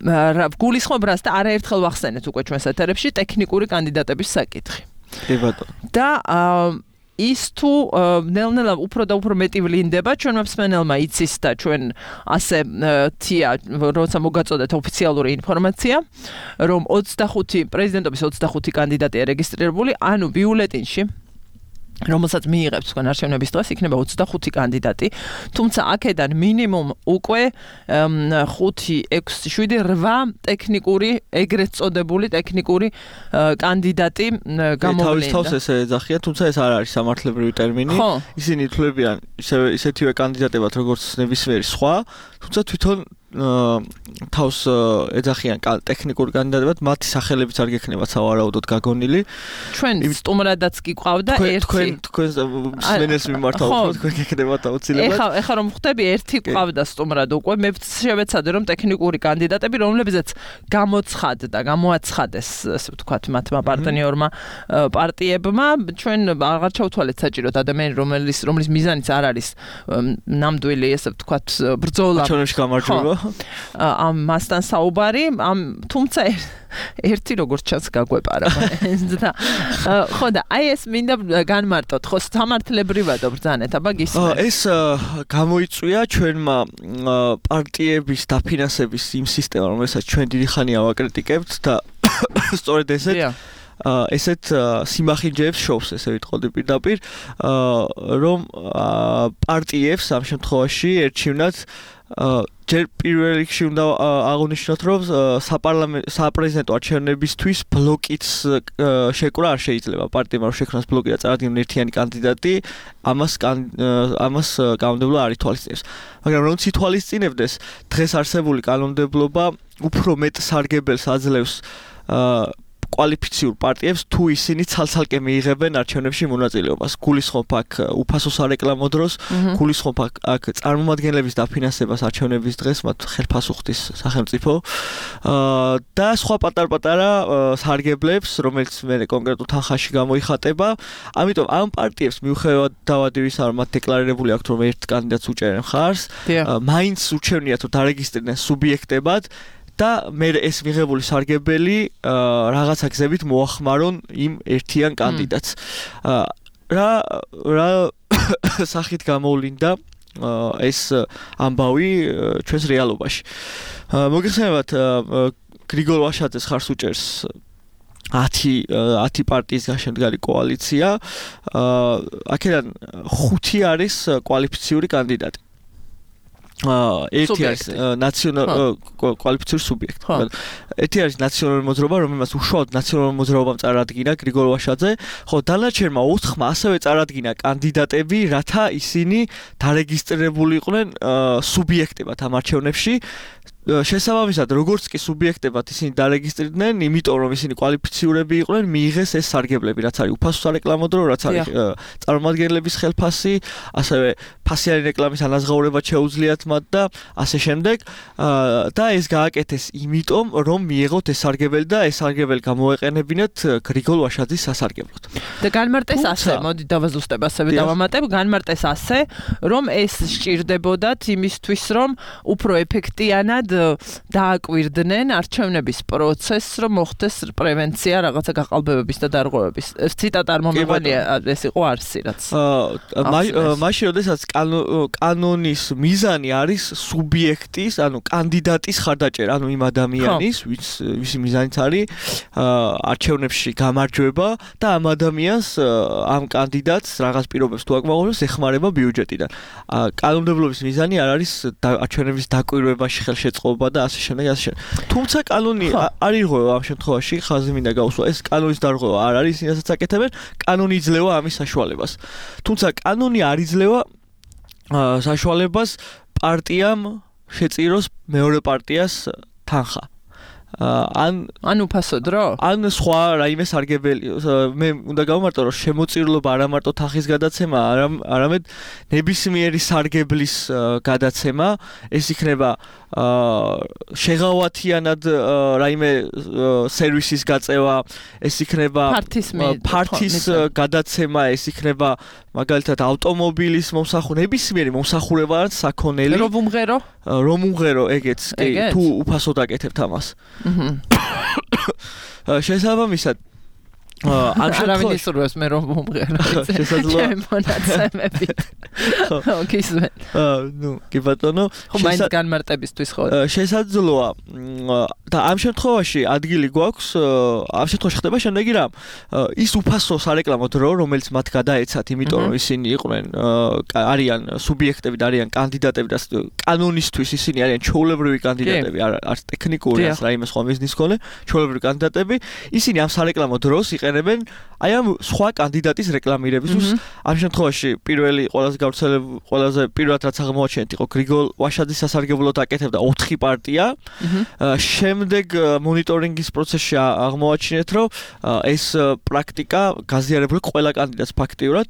აა გულისხმობ რას და არაერთხელ ვახსენეთ უკვე ჩვენს ეთერებში ტექნიკური კანდიდატების საკითხი. კი ბატონო. და აა ის თუ ნელ-ნელა უფრო და უფრო მეტი ვლინდება, ჩვენმა მსმენელმა იცის და ჩვენ ასე თია, როცა მოგაწოდეთ ოფიციალური ინფორმაცია, რომ ოცდახუთი პრეზიდენტობის ოცდახუთი კანდიდატია რეგისტრირებული, ანუ ბიულეტინში რომელსაც მიიღებს თქვენ არჩევნების დღეს იქნება ოცდახუთი კანდიდატი, თუმცა აქედან მინიმუმ უკვე ხუთი, ექვსი, შვიდი, რვა ტექნიკური, ეგრეთ წოდებული ტექნიკური კანდიდატი გამოვლინდა. თავის თავს ესე ეძახიან, თუმცა ეს არ არის სამართლებრივი ტერმინი. ისინი ითვლებიან ისეთივე კანდიდატებად, როგორც ნებისმიერი სხვა, თუმცა თვითონ თავს ეძახიან ტექნიკური კანდიდატებად, მათი სახელებიც არ გექნებათ სავარაუდოდ გაგონილი. ჩვენ სტუმრადაც კი ყავდა ერთი. თქვენ მსმენელს მიმართავთ, თქვენ გექნებათ აუცილებლად. ეხა ეხა რომ ხვდები, ერთი ყავდა სტუმრად უკვე, მე შევეცადე რომ ტექნიკური კანდიდატები, რომლებზეც გამოცხადდა, გამოაცხადეს, ასე ვთქვათ, მათმა პარტნიორმა პარტიებმა, ჩვენ აღარ ჩავთვალეთ საჭიროდ ადამიანი, რომელიც რომლის მიზანიც არ არის ნამდვილი, ასე ვთქვათ, ბრძოლა. ჩვენში გამარჯვება. ამ მასთან საუბარი, ამ თუმცა ერთი როგორც ჩანს გაგვეპარა და ხო და აი ეს მინდა განმარტოთ, ხო სამართლებრივად ბრძანეთ, აბა გისმენთ. ეს გამოიწვია ჩვენმა პარტიების დაფინანსების იმ სისტემა, რომელსაც ჩვენ დიდი ხანია ვაკრიტიკებთ და სწორედ ესეთ ესეთ სიმახინჯეებს შოვს, ესე ვიტყოდი პირდაპირ, რომ პარტიებს ამ შემთხვევაში ერჩივნათ ჯერ პირველ რიგში უნდა აღნიშნოთ, რომ საპარლამენტო საპრეზიდენტო არჩევნებისთვის ბლოკიც შეკრა არ შეიძლება. პარტიამ რო შექმნას ბლოკი და წარადგინონ ერთიანი კანდიდატი, ამას ამას კანონმდებლობა არ ითვალისწინებს. მაგრამ რომ ითვალისწინებდეს, დღეს არსებული კანონმდებლობა უფრო მეტ სარგებელს აძლევს კვალიფიციურ პარტიებს თუ ისინი ცალ-ცალკე მიიღებენ არჩევნებში მონაწილეობას. გულისხმობ აქ უფასო სარეკლამო დროს, გულისხმობ აქ წარმომადგენლების დაფინანსებას არჩევნების დღეს, მათ ხელფასუხდის სახელმწიფო და სხვა პატარ-პატარა სარგებლებს, რომელიც მე კონკრეტულ თანხაში გამოიხატება. ამიტომ ამ პარტიებს მიუხედავად იმისა, რომ მათ დეკლარირებული აქვთ, რომ ერთ კანდიდატს უჭერენ მხარს, მაინც ურჩევნიათ, რომ დარეგისტრირდნენ სუბიექტებად და მე ეს მიღებული სარგებელი რაღაცა გზებით მოახმარონ იმ ერთიან კანდიდატს. რა რა სახით გამოვლინდა ეს ამბავი ჩვენს რეალობაში. მოგეხსენებათ გრიგოლ ვაშაძეს ხარს უჭერს ათი ათი პარტიის გაშემდგარი კოალიცია. აქედან ხუთი არის კვალიფიციური კანდიდატი. ერთი არის ნაციონალური კვალიფიციური სუბიექტი. ერთი არის ნაციონალური მოძრაობა, რომელმაც უშუალოდ ნაციონალური მოძრაობამ წარადგინა გრიგოლ ვაშაძე, ხო დანარჩენმა ოთხმა ასევე წარადგინა კანდიდატები, რათა ისინი დარეგისტრირებული იყვნენ სუბიექტებად ამ არჩევნებში. შესაბამისად, როგორც კი სუბიექტებად ისინი დარეგისტრირდნენ, იმიტომ რომ ისინი კვალიფიციურები იყვნენ, მიიღეს ეს სარგებლები, რაც არის უფასო სარეკლამო დრო, რაც არის წარმომადგენლების ხელფასი, ასევე ფასიანი რეკლამის ანაზღაურება შეუძლიათ მათ და ასე შემდეგ. და ეს გააკეთეს იმიტომ, რომ მიიღოთ ეს სარგებელი და ეს სარგებელი გამოეყენებინათ გრიგოლ ვაშაძის სასარგებლოდ. და განმარტეს ასე, მოდი დავაზუსტებ ასევე დავამატებ, განმარტეს ასე, რომ ეს სჭირდებოდათ იმისთვის, რომ უფრო ეფექტიანად დააკვირდნენ არჩევნების პროცესს, რომ მოხდეს პრევენცია რაღაცა გაყალბებების და დარღვევების. ციტატა არ მომევალია, ეს იყო არსი რაც. მაშინ როდესაც კანონის მიზანი არის სუბიექტის, ანუ კანდიდატის ხარდაჭერა, ანუ იმ ადამიანის, ვისი მიზანიც არის არჩევნებში გამარჯვება და ამ ადამიანს, ამ კანდიდატს რაღაც პირობებს თუ აკმაყოფილებს, ეხმარება ბიუჯეტიდან. კანონმდებლობის მიზანი არ არის არჩევნების დაკვირვებაში ხელშეწყობა და ასე შემდეგ, ასე შემდეგ. თუმცა კანონი არ ირღვევა ამ შემთხვევაში, ხაზი მინდა გავუსვა, ეს კანონის დარღვევა არ არის, ისინასაც აკეთებენ, კანონი იძლევა ამის საშუალებას. თუმცა კანონი არ იძლევა საშუალებას პარტიამ შეწიროს მეორე პარტიას თანხა. ან ან უფასო დრო? ან სხვა რაიმე სარგებელი. მე უნდა გავმარტო, რომ შემოწირულობა არა მარტო თანხის გადაცემა, არამედ ნებისმიერი სარგებლის გადაცემა. ეს იქნება შეღავათიანად რაიმე სერვისის გაწევა, ეს იქნება ფართის გადაცემა, ეს იქნება მაგალითად ავტომობილის მომსახურება, ნებისმიერი მომსახურება ან საქონელი. რომ უმღერო? რომ უმღერო, ეგეც, კი, თუ უფასოდ აკეთებთ ამას. შესაბამისად ამ შემთხვევაში მე რომ მომღერო შესაძლოა მონაცემებით ოკეი ნუ კი ბატონო მაინც განმარტებისთვის ხო შესაძლოა და ამ შემთხვევაში ადგილი გვაქვს ამ შემთხვევაში ხდება შემდეგი რამ ის უფასო სარეკლამო დრო რომელიც მათ გადაეცათ იმიტომ რომ ისინი იყვნენ არიან სუბიექტები და არიან კანდიდატები და კანონისთვის ისინი არიან ჩვეულებრივი კანდიდატები არც ტექნიკური არც რაიმე სხვა მიზნის მქონე ჩვეულებრივი კანდიდატები ისინი ამ სარეკლამო დროს იყენებენ აი ამ სხვა კანდიდატის რეკლამირებისთვის ამ შემთხვევაში პირველი ყველაზე გავრცელებული ყველაზე პირველად რაც აღმოაჩენთ იყო გრიგოლ ვაშაძის სასარგებლოდ აკეთებდა ოთხი პარტია შემდეგ მონიტორინგის პროცესში აღმოაჩინეთ რომ ეს პრაქტიკა გაზიარებული ყველა კანდიდატს ფაქტიურად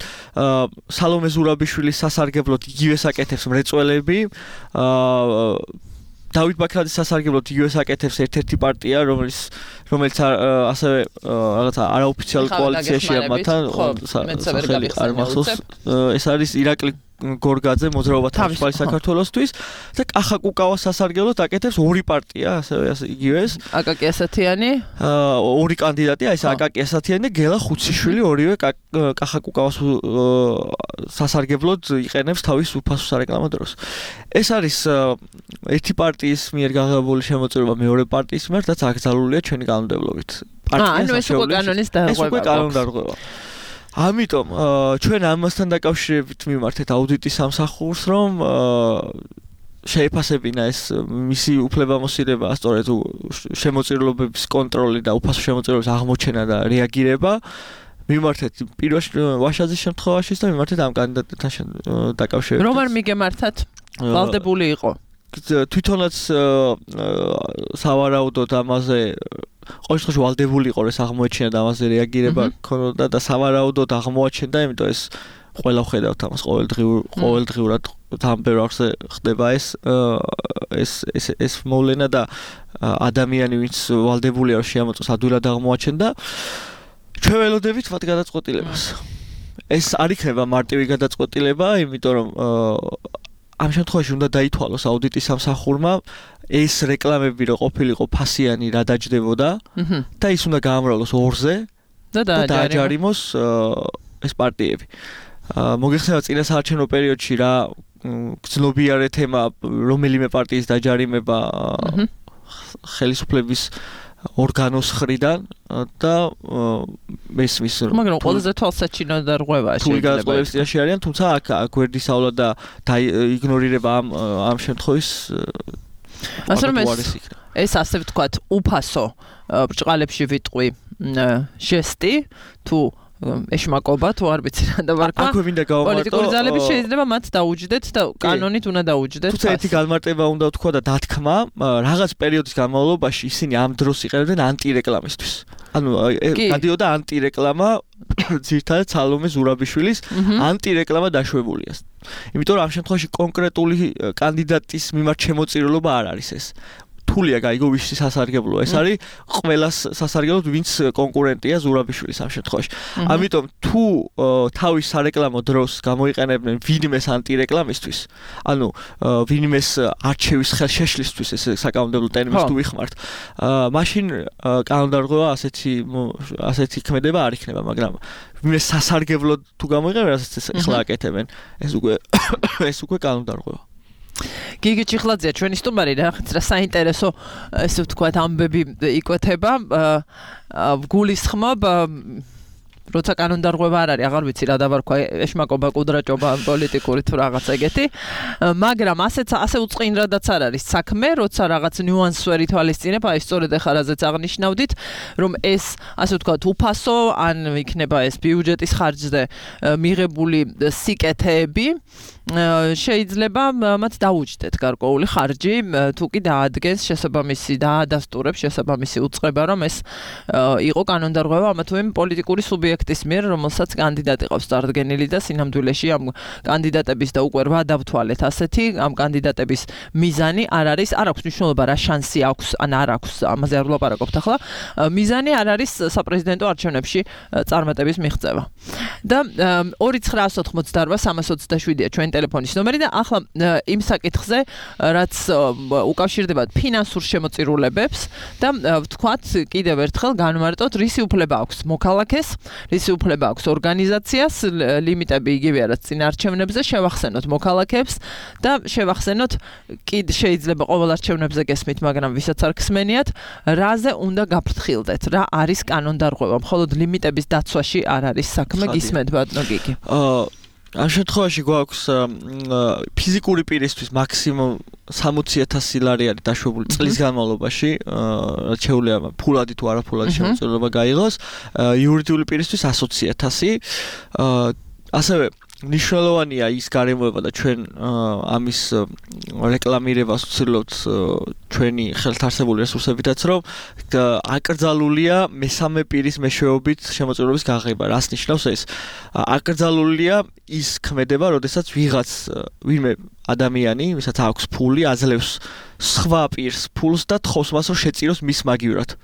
სალომე ზურაბიშვილის სასარგებლოდ იგივეს აკეთებს მრეწველები დავით ბაქრაძის სასარგებლოდ იგივეს აკეთებს ერთ-ერთი პარტია რომელიც რომელიც ასევე რაღაცა არაოფიციალურ კოალიციაშია მათთან სახელი არ მახსოვს ეს არის ირაკლი გორგაძე მოძრაობა თავისუფალი საქართველოსთვის და კახა კუკავას სასარგებლოდ აკეთებს ორი პარტია ასევე იგივეს აკაკი ასათიანი ორი კანდიდატი აი ეს აკაკი ასათიანი და გელა ხუციშვილი ორივე კახა კუკავას სასარგებლოდ იყენებს თავის უფასო სარეკლამო დროს ეს არის ერთი პარტიის მიერ გაღებული შემოწირულობა მეორე პარტიის მიერ რაც აკრძალულია ჩვენი კანონმდებლობით პარტიას ანუ ეს უკვე კანონის დარღვევა ეს უკვე კანონის დარღვევა ამიტომ ჩვენ ამასთან დაკავშირებით მიმართეთ აუდიტის სამსახურს რომ შეეფასებინა ეს მისი უფლებამოსილება სწორედ შემოწირულობების კონტროლი და უფასო შემოწირულობის აღმოჩენა და რეაგირება მიმართეთ პირველ ვაშაძის შემთხვევაში და მიმართეთ ამ კანდიდატთან დაკავშირებით რომ არ მიგემართათ ვალდებული იყო თვითონაც სავარაუდოდ ამაზე ყოველ შემთხვევაში ვალდებული იყო ეს აღმოაჩინა და ამაზე რეაგირება ქონოდა და სავარაუდოდ აღმოაჩენდა, იმიტომ ეს ყველა ხედავთ ამას ყოველდღიურ ყოველდღიურად თან ბევრ არხზე ხდება ეს ეს ეს ეს მოვლენა და ადამიანი ვინც ვალდებულია რომ შეამოწოს ადვილად აღმოაჩენდა ჩვენ ველოდებით მათ გადაწყვეტილებას ეს არ იქნება მარტივი გადაწყვეტილება იმიტომ რომ ამ შემთხვევაში უნდა დაითვალოს აუდიტის სამსახურმა ეს რეკლამები რო ყოფილიყო ფასიანი რა დაჯდებოდა და ის უნდა გაამრავლოს ორზე და დააჯარიმოს ეს პარტიები მოგეხსენა წინა საარჩევნო პერიოდში რა გრძნობიარე თემა რომელიმე პარტიის დაჯარიმება ხელისუფლების ორგანოს ხრიდან და მესმის მაგრამ ყველაზე თვალსაჩინო და რღვევა შეიძლება ის წინაშე არიან თუმცა აქ გვერდისავლა და იგნორირება ამ ამ შემთხვევის ასე რომ ეს ასე ვთქვათ უფასო ბრჭყალებში ვიტყვი ჟესტი თუ ეშმაკობა თუ არ ვიცი რა დავარქვა აქვე მინდა გავამარტო პოლიტიკური ძალები შეიძლება მათ დაუჯდეთ და კანონით უნდა დაუჯდეთ თუმცა ერთი განმარტება უნდა ვთქვა და დათქმა რაღაც პერიოდის განმავლობაში ისინი ამ დროს იყენებდნენ ანტირეკლამისთვის ანუ გადიოდა ანტირეკლამა ძირთადად სალომე ზურაბიშვილის ანტირეკლამა დაშვებულია იმიტომ რომ ამ შემთხვევაში კონკრეტული კანდიდატის მიმართ შემოწირულობა არ არის ეს თულია გაიგო ვის სასარგებლოა ეს არის ყველას სასარგებლოდ ვინც კონკურენტია ზურაბიშვილის ამ შემთხვევაში ამიტომ თუ თავის სარეკლამო დროს გამოიყენებდნენ ვინმეს ანტირეკლამისთვის ანუ ვინმეს არჩევის ხელშეშლისთვის ეს საკანონმდებლო ტერმინს თუ ვიხმართ მაშინ კანონდარღვევა ასეთი ასეთი ქმედება არ იქნება მაგრამ ვინმეს სასარგებლოდ თუ გამოიყენებენ რასაც ახლა აკეთებენ ეს უკვე ეს უკვე კანონდარღვევა გიგი ჩიხლაძეა ჩვენი სტუმარი რაღაც რა საინტერესო ესე ვთქვათ ამბები იკვეთება გულისხმობ როცა კანონდარღვევა არ არის აღარ ვიცი რა დავარქვა ეშმაკობა კუდრაჭობა პოლიტიკური თუ რაღაც ეგეთი მაგრამ ასეც ასე უწყინრადაც არ არის საქმე როცა რაღაც ნიუანსს ვერ ითვალისწინებ აი სწორედ ახლა რაზეც აღნიშნავდით რომ ეს ასე ვთქვათ უფასო ან იქნება ეს ბიუჯეტის ხარჯზე მიღებული სიკეთეები შეიძლება მათ დაუჯდეთ გარკვეული ხარჯი თუ კი დაადგენს შესაბამისი დაადასტურებს შესაბამისი უწყება რომ ეს იყო კანონდარღვევა ამა თუ იმ პოლიტიკური სუბიექტის მიერ რომელსაც კანდიდატი ყავს წარდგენილი და სინამდვილეში ამ კანდიდატების და უკვე რვა დავთვალეთ ასეთი ამ კანდიდატების მიზანი არ არის არ აქვს მნიშვნელობა რა შანსი აქვს ან არ აქვს ამაზე არ ვლაპარაკობთ ახლა მიზანი არ არის საპრეზიდენტო არჩევნებში წარმატების მიღწევა და ორი ცხრაას ოთხმოცდარვა სამას ოცდაშვიდია ჩვენ ტელეფონის ნომერი და ახლა იმ საკითხზე რაც უკავშირდება ფინანსურ შემოწირულებებს და ვთქვათ კიდევ ერთხელ განმარტოთ რისი უფლება აქვს მოქალაქეს რისი უფლება აქვს ორგანიზაციას ლიმიტები იგივეა რაც წინა არჩევნებზე შევახსენოთ მოქალაქეებს და შევახსენოთ კიდე შეიძლება ყოველ არჩევნებზე გესმით მაგრამ ვისაც არ გსმენიათ რაზე უნდა გაფრთხილდეთ რა არის კანონდარღვევა მხოლოდ ლიმიტების დაცვაში არ არის საქმე გისმენთ ბატონო გიგი ამ შემთხვევაში გვაქვს ფიზიკური პირისთვის მაქსიმუმ სამოცი ათასი ლარი არის დაშვებული წლის განმავლობაში რაც შეუძლია ფულადი თუ არაფულადი შემოწირულობა გაიღოს იურიდიული პირისთვის ათი ათასი ასევე ნიშნულოვანია ის გარემოება და ჩვენ ამის რეკლამირებას ვცდილობთ ჩვენი ხელთარსებული რესურსებითაც რომ აკრძალულია მესამე პირის მეშვეობით შემოწირულობის გაღება რას ნიშნავს ეს აკრძალულია ის ქმედება როდესაც ვიღაც ვინმე ადამიანი ვისაც აქვს ფული აძლევს სხვა პირს ფულს და თხოვს მას რომ შეწიროს მის მაგივრად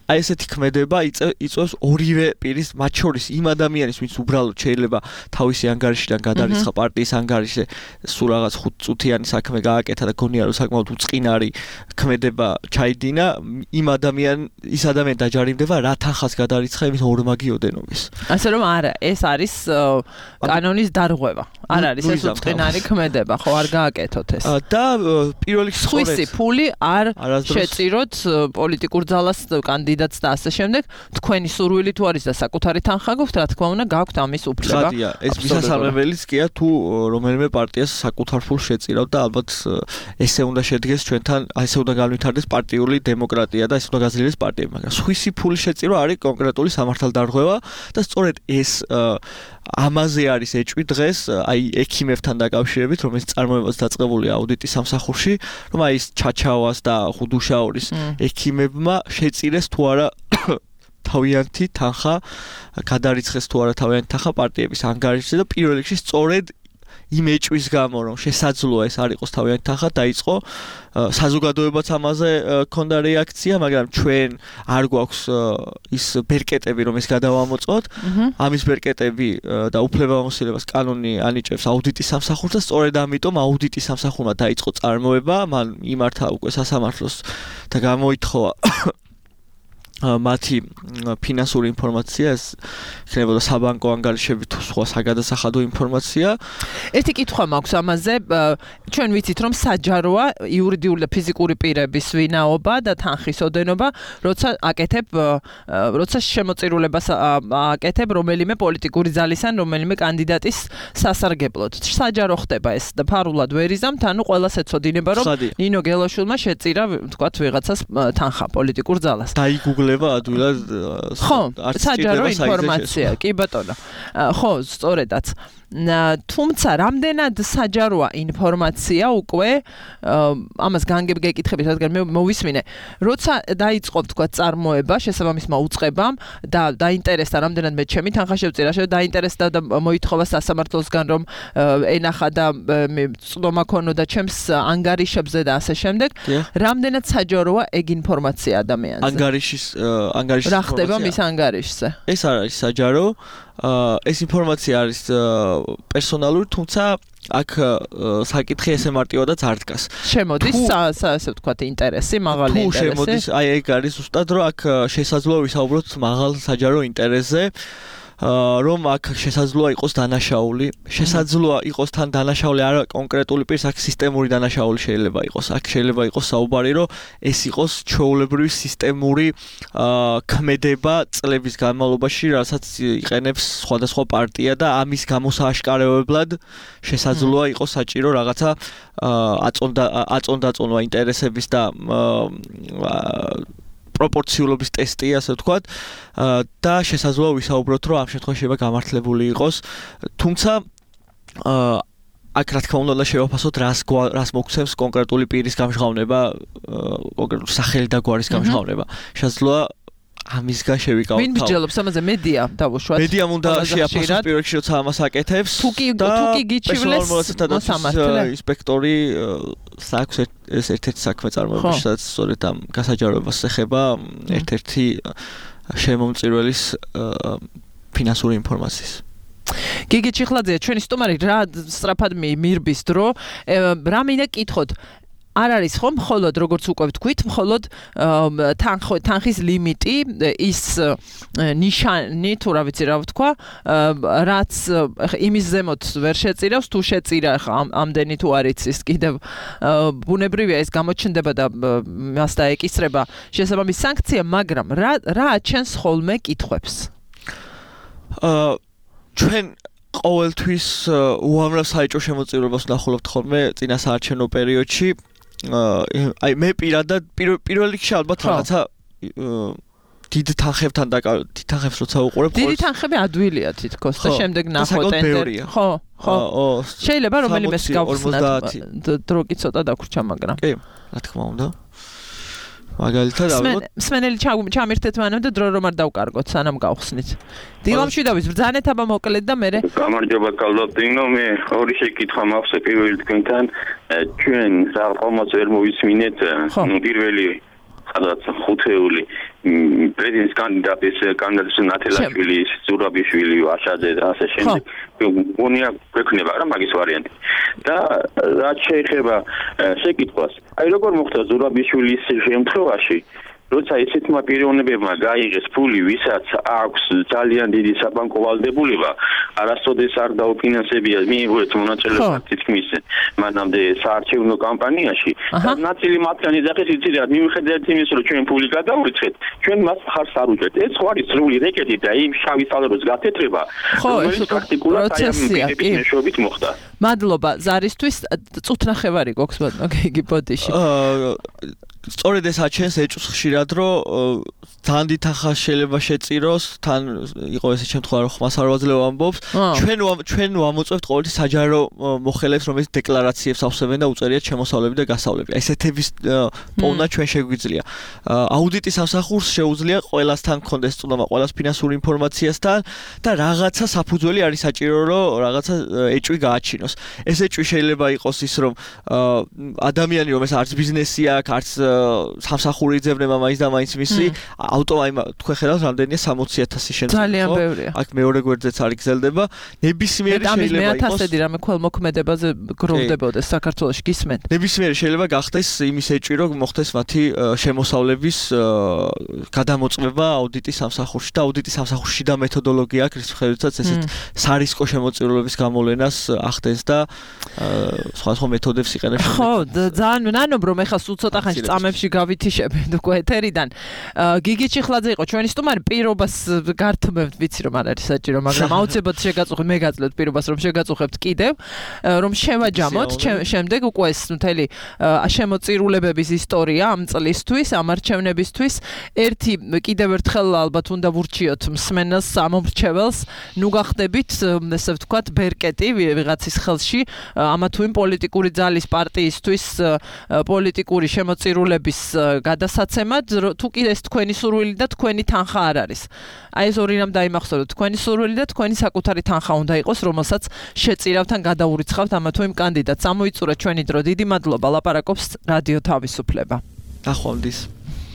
აი ესეთი ქმედება იწვევს ორივე პირის მათ შორის იმ ადამიანის ვინც უბრალოდ შეიძლება თავისი ანგარიშიდან გადარიცხა პარტიის ანგარიშზე სულ რაღაც ხუთ წუთიანი საქმე გააკეთა და გონია რომ საკმაოდ უწყინარი ქმედება ჩაიდინა იმ ადამიან ის ადამიანი დაჯარიმდება რა თანხას გადარიცხა იმის ორმაგი ოდენობის ასე რომ არა ეს არის კანონის დარღვევა არ არის ეს უწყინარი ქმედება ხო არ გააკეთოთ ეს და პირველ რიგში სხვისი ფული არ შეწიროთ პოლიტიკურ ძალას კანდიდატს და ასე შემდეგ თქვენი სურვილი თუ არის და საკუთარი თანხა გაქვთ რა თქმა უნდა გაქვთ ამის უფლება ხადია ეს მისასალმებელიც კია თუ რომელიმე პარტიას საკუთარ ფულს შეწირავ და ალბათ ესე უნდა შედგეს ჩვენთან ესე უნდა განვითარდეს პარტიული დემოკრატია და ესე უნდა გაძლიერდეს პარტიები მაგრამ სხვისი ფული შეწირვა არის კონკრეტული სამართალდარღვევა და სწორედ ეს ამაზე არის ეჭვი დღეს აი ექიმებთან დაკავშირებით, რომელიც წარმოებაც დაწყებული აუდიტის სამსახურში, რომ აი ეს ჩაჩავას და ხუდუშაურის ექიმებმა შეწირეს თუ არა თავიანთი თანხა, გადარიცხეს თუ არა თავიანთი თანხა პარტიების ანგარიშზე და პირველ რიგში სწორედ იმ ეჭვის გამო, რომ შესაძლოა ეს არ იყოს თავიანთი თანხა, დაიწყო საზოგადოებაც ამაზე ქონდა რეაქცია, მაგრამ ჩვენ არ გვაქვს ის ბერკეტები, რომ ეს გადავამოწოთ. ამის ბერკეტები და უფლებამოსილებას კანონი ანიჭებს აუდიტის სამსახურს და სწორედ ამიტომ აუდიტის სამსახურმა დაიწყო წარმოება, მან იმართა უკვე სასამართლოს და გამოითხოვა მათი ფინანსური ინფორმაცია, ეს ხდებოდა საბანკო ანგარიშები თუ სხვა საგადასახადო ინფორმაცია. ერთი კითხვა მაქვს ამაზე, ჩვენ ვიცით რომ საჯაროა იურიდიული და ფიზიკური პირების ვინაობა და თანხის ოდენობა, როცა აკეთებ, როცა შემოწირულებას აკეთებ რომელიმე პოლიტიკური ძალის ან რომელიმე კანდიდატის სასარგებლოდ. საჯარო ხდება ეს და ფარულად ვერ იზამთ, ანუ ყველას ეცოდინება რომ ნინო გელაშვილმა შეწირა, თქვათ ვიღაცას თანხა პოლიტიკურ ძალას. დაიგუგლება ადვილად ხო, საჯარო ინფორმაცია, კი ბატონო. ხო, სწორედაც. თუმცა რამდენად საჯაროა ინფორმაცია უკვე ამას განგებ გეკითხებით, რადგან მე მოვისმინე, როცა დაიწყო თქვა წარმოება შესაბამისმა უწყებამ და დაინტერესდა რამდენად მე ჩემი თანხა შევწირა, დაინტერესდა და მოითხოვა სასამართლოსგან რომ ენახა და წვდომა ქონოდა ჩემს ანგარიშებზე და ასე შემდეგ, რამდენად საჯაროა ეგ ინფორმაცია ადამიანზე? ანგარიშის ანგარიშის რა ხდება მის ანგარიშზე? ეს არ არის საჯარო. ეს ინფორმაცია არის პერსონალური, თუმცა აქ საკითხი ესე მარტივადაც არ დგას. შემოდის ასე ვთქვათ ინტერესი, მაღალი ინტერესი. თუ შემოდის, აი ეგ არის ზუსტად, რომ აქ შესაძლოა ვისაუბროთ მაღალ საჯარო ინტერესზე. რომ აქ შესაძლოა იყოს დანაშაული, შესაძლოა იყოს თან დანაშაული არა კონკრეტული პირის, აქ სისტემური დანაშაული შეიძლება იყოს. აქ შეიძლება იყოს საუბარი, რომ ეს იყოს ჩვეულებრივი სისტემური ქმედება წლების განმავლობაში, რასაც იყენებს სხვადასხვა პარტია და ამის გამოსააშკარებლად შესაძლოა იყოს საჭირო რაღაცა აწონდა აწონდაწონვა ინტერესების და პროპორციულობის ტესტი, ასე ვთქვათ, და შესაძლოა ვისაუბროთ, რომ ამ შემთხვევაში შეიძლება გამართლებული იყოს. თუმცა აქ რა თქმა უნდა შევაფასოთ, რას რას მოგცემს კონკრეტული პირის გამჟღავნება, კონკრეტული სახელი და გვარის გამჟღავნება. შესაძლოა ამისგან შევიკავოთ. ვინ მსჯელობს ამაზე? მედია დავუშვათ. მედიამ უნდა შეაფასოს პირველ რიგში, როცა ამას აკეთებს. თუ კი თუ კი გიჩივლეს მოსამართლე ინსპექტორი საქმე ეს ერთ-ერთი საქმე წარმოება, სადაც სწორედ ამ გასაჯაროებას ეხება ერთ-ერთი შემომწირველის ფინანსური ინფორმაციის. გიგი ჩიხლაძე, ჩვენი სტუმარი, რა სწრაფად მირბის დრო, რა მინდა კითხოთ. არ არის ხომ მხოლოდ როგორც უკვე ვთქვით, მხოლოდ თანხის ლიმიტი, ის ნიშანი თუ რა ვიცი რა ვთქვა, რაც იმის ზემოთ ვერ შეწირავს, თუ შეწირა ამდენი თუ არ იცის, კიდევ ბუნებრივია ეს გამოჩნდება და მას დაეკისრება შესაბამის სანქცია, მაგრამ რა რა აჩენს ხოლმე კითხვებს? ჩვენ ყოველთვის უამრავ საეჭვო შემოწირულობას ვნახულობთ ხოლმე წინა საარჩევნო პერიოდში. აი მე პირადად პირველ რიგში ალბათ რაღაცა დიდ თანხებთან და დიდ თანხებს როცა უყურებ დიდი თანხები ადვილია თითქოს და შემდეგ ნახო ტენდერი ხო ხო შეიძლება რომელიმე გავხსნათ დრო კი ცოტა დაგვრჩა მაგრამ კი რა თქმა უნდა მაგალითად ალბათ სმენელი ჩამირთეთ მანამ და დრო რომ არ დავკარგოთ სანამ გავხსნით დილამშვიდობის ბრძანეთ აბა მოკლედ და მე გამარჯობა კალდატინო მე ორი შეკითხვა მაქვს პირველი თქვენთან ჩვენ რაღაც ვერ მოვისმინეთ პირველი სადაც ხუთეული პრეზიდენტის კანდიდატის კანდიდატის ნათელაშვილი, ზურაბიშვილი, ვაშაძე და ასე შემდეგ. გონია გვექნება რა მაგის ვარიანტი. და რაც შეეხება შეკითხვას, აი როგორ მოხდა ზურაბიშვილის შემთხვევაში, როცა ესეთმა პიროვნებებმა გაიღეს ფული, ვისაც აქვს ძალიან დიდი საბანკო ვალდებულება, არასოდეს არ დაუფინანსებია მიიღეთ მონაწილეობა თითქმის მანამდე საარჩევნო კამპანიაში და ნაწილი მათგანი ძახეს იცით რა მიუხედავად იმის რომ ჩვენ ფული გადავურიცხეთ ჩვენ მას ხარს არ უჭერთ ეს ხო არის სრული რეკეტი და იმ შავი სალეროს გათეთრება რომელიც პრაქტიკულად აი ამ პირების მეშვეობით მოხდა მადლობა ზარისთვის წუთნახევარი გვაქვს ბატონო გიგი ბოდიში სწორედ ეს აჩენს ეჭვს ხშირად, რომ თან დითხა შეიძლება შეწიროს, თან იყო ესე შემთხვევა, რომ ხმას არ ვაძლევ ამბობს. ჩვენ ჩვენ ვამოწევთ ყოველთვის საჯარო მოხელებს, რომელიც დეკლარაციებს ავსებენ და უწერიათ შემოსავლები და გასავლები. ესეთების პოვნა ჩვენ შეგვიძლია. აუდიტის სამსახურს შეუძლია ყველასთან გქონდეს წვდომა, ყველას ფინანსური ინფორმაციასთან და რაღაცა საფუძველი არის საჭირო, რომ რაღაცა ეჭვი გააჩინოს. ეს ეჭვი შეიძლება იყოს ის, რომ ადამიანი, რომ ეს არც ბიზნესი აქვს, არც სამსახური იძებნება მაინც და მაინც მისი ავტომატ თქვენ ხედავთ რამდენია სამოცი ათასი შემთხვევა. ძალიან ბევრია. აქ მეორე გვერდზეც არ იგრძელდება. ნებისმიერი შეიძლება იყოს. ამის მეათასედი რამე ქველმოქმედებაზე გროვდებოდეს საქართველოში გისმენთ. ნებისმიერი შეიძლება გახდეს იმის ეჭვი, რომ მოხდეს მათი შემოსავლების გადამოწმება აუდიტის სამსახურში და აუდიტის სამსახურში და მეთოდოლოგია აქვს, რის მიხედვითაც ესეთ სარისკო შემოწირულობის გამოვლენას ახდენს და სხვადასხვა მეთოდებს იყენებს. ხო, ძალიან მნანობ რომ ეხლა სულ ცოტა ხანში წამებში გავითიშებენ უკვე ეთერიდან. გიგი ჩიხლაძე იყო ჩვენი სტუმარი, პირობას გართმევთ, ვიცი რომ არ არის საჭირო, მაგრამ აუცილებლად შეგაწუხებთ, მე გაძლევთ პირობას რომ შეგაწუხებთ კიდევ, რომ შევაჯამოთ შემდეგ უკვე ეს მთელი შემოწირულებების ისტორია ამ წლისთვის, ამ არჩევნებისთვის. ერთი კიდევ ერთხელ ალბათ უნდა ვურჩიოთ მსმენელს, ამომრჩეველს, ნუ გახდებით, ესე ვთქვათ, ბერკეტი ვიღაცის ხელში, ამა თუ იმ პოლიტიკური ძალის პარტიისთვის პოლიტიკური შემოწირულების გადასაცემად, თუ კიდე ეს თქვენი სურვილი და თქვენი თანხა არ არის. აი ეს ორი რამ დაიმახსოვროთ, თქვენი სურვილი და თქვენი საკუთარი თანხა უნდა იყოს, რომელსაც შეწირავთ ან გადაურიცხავთ ამა თუ იმ კანდიდატს. ამოიწურა ჩვენი დრო. დიდი მადლობა, ლაპარაკობს რადიო თავისუფლება. ნახვამდის.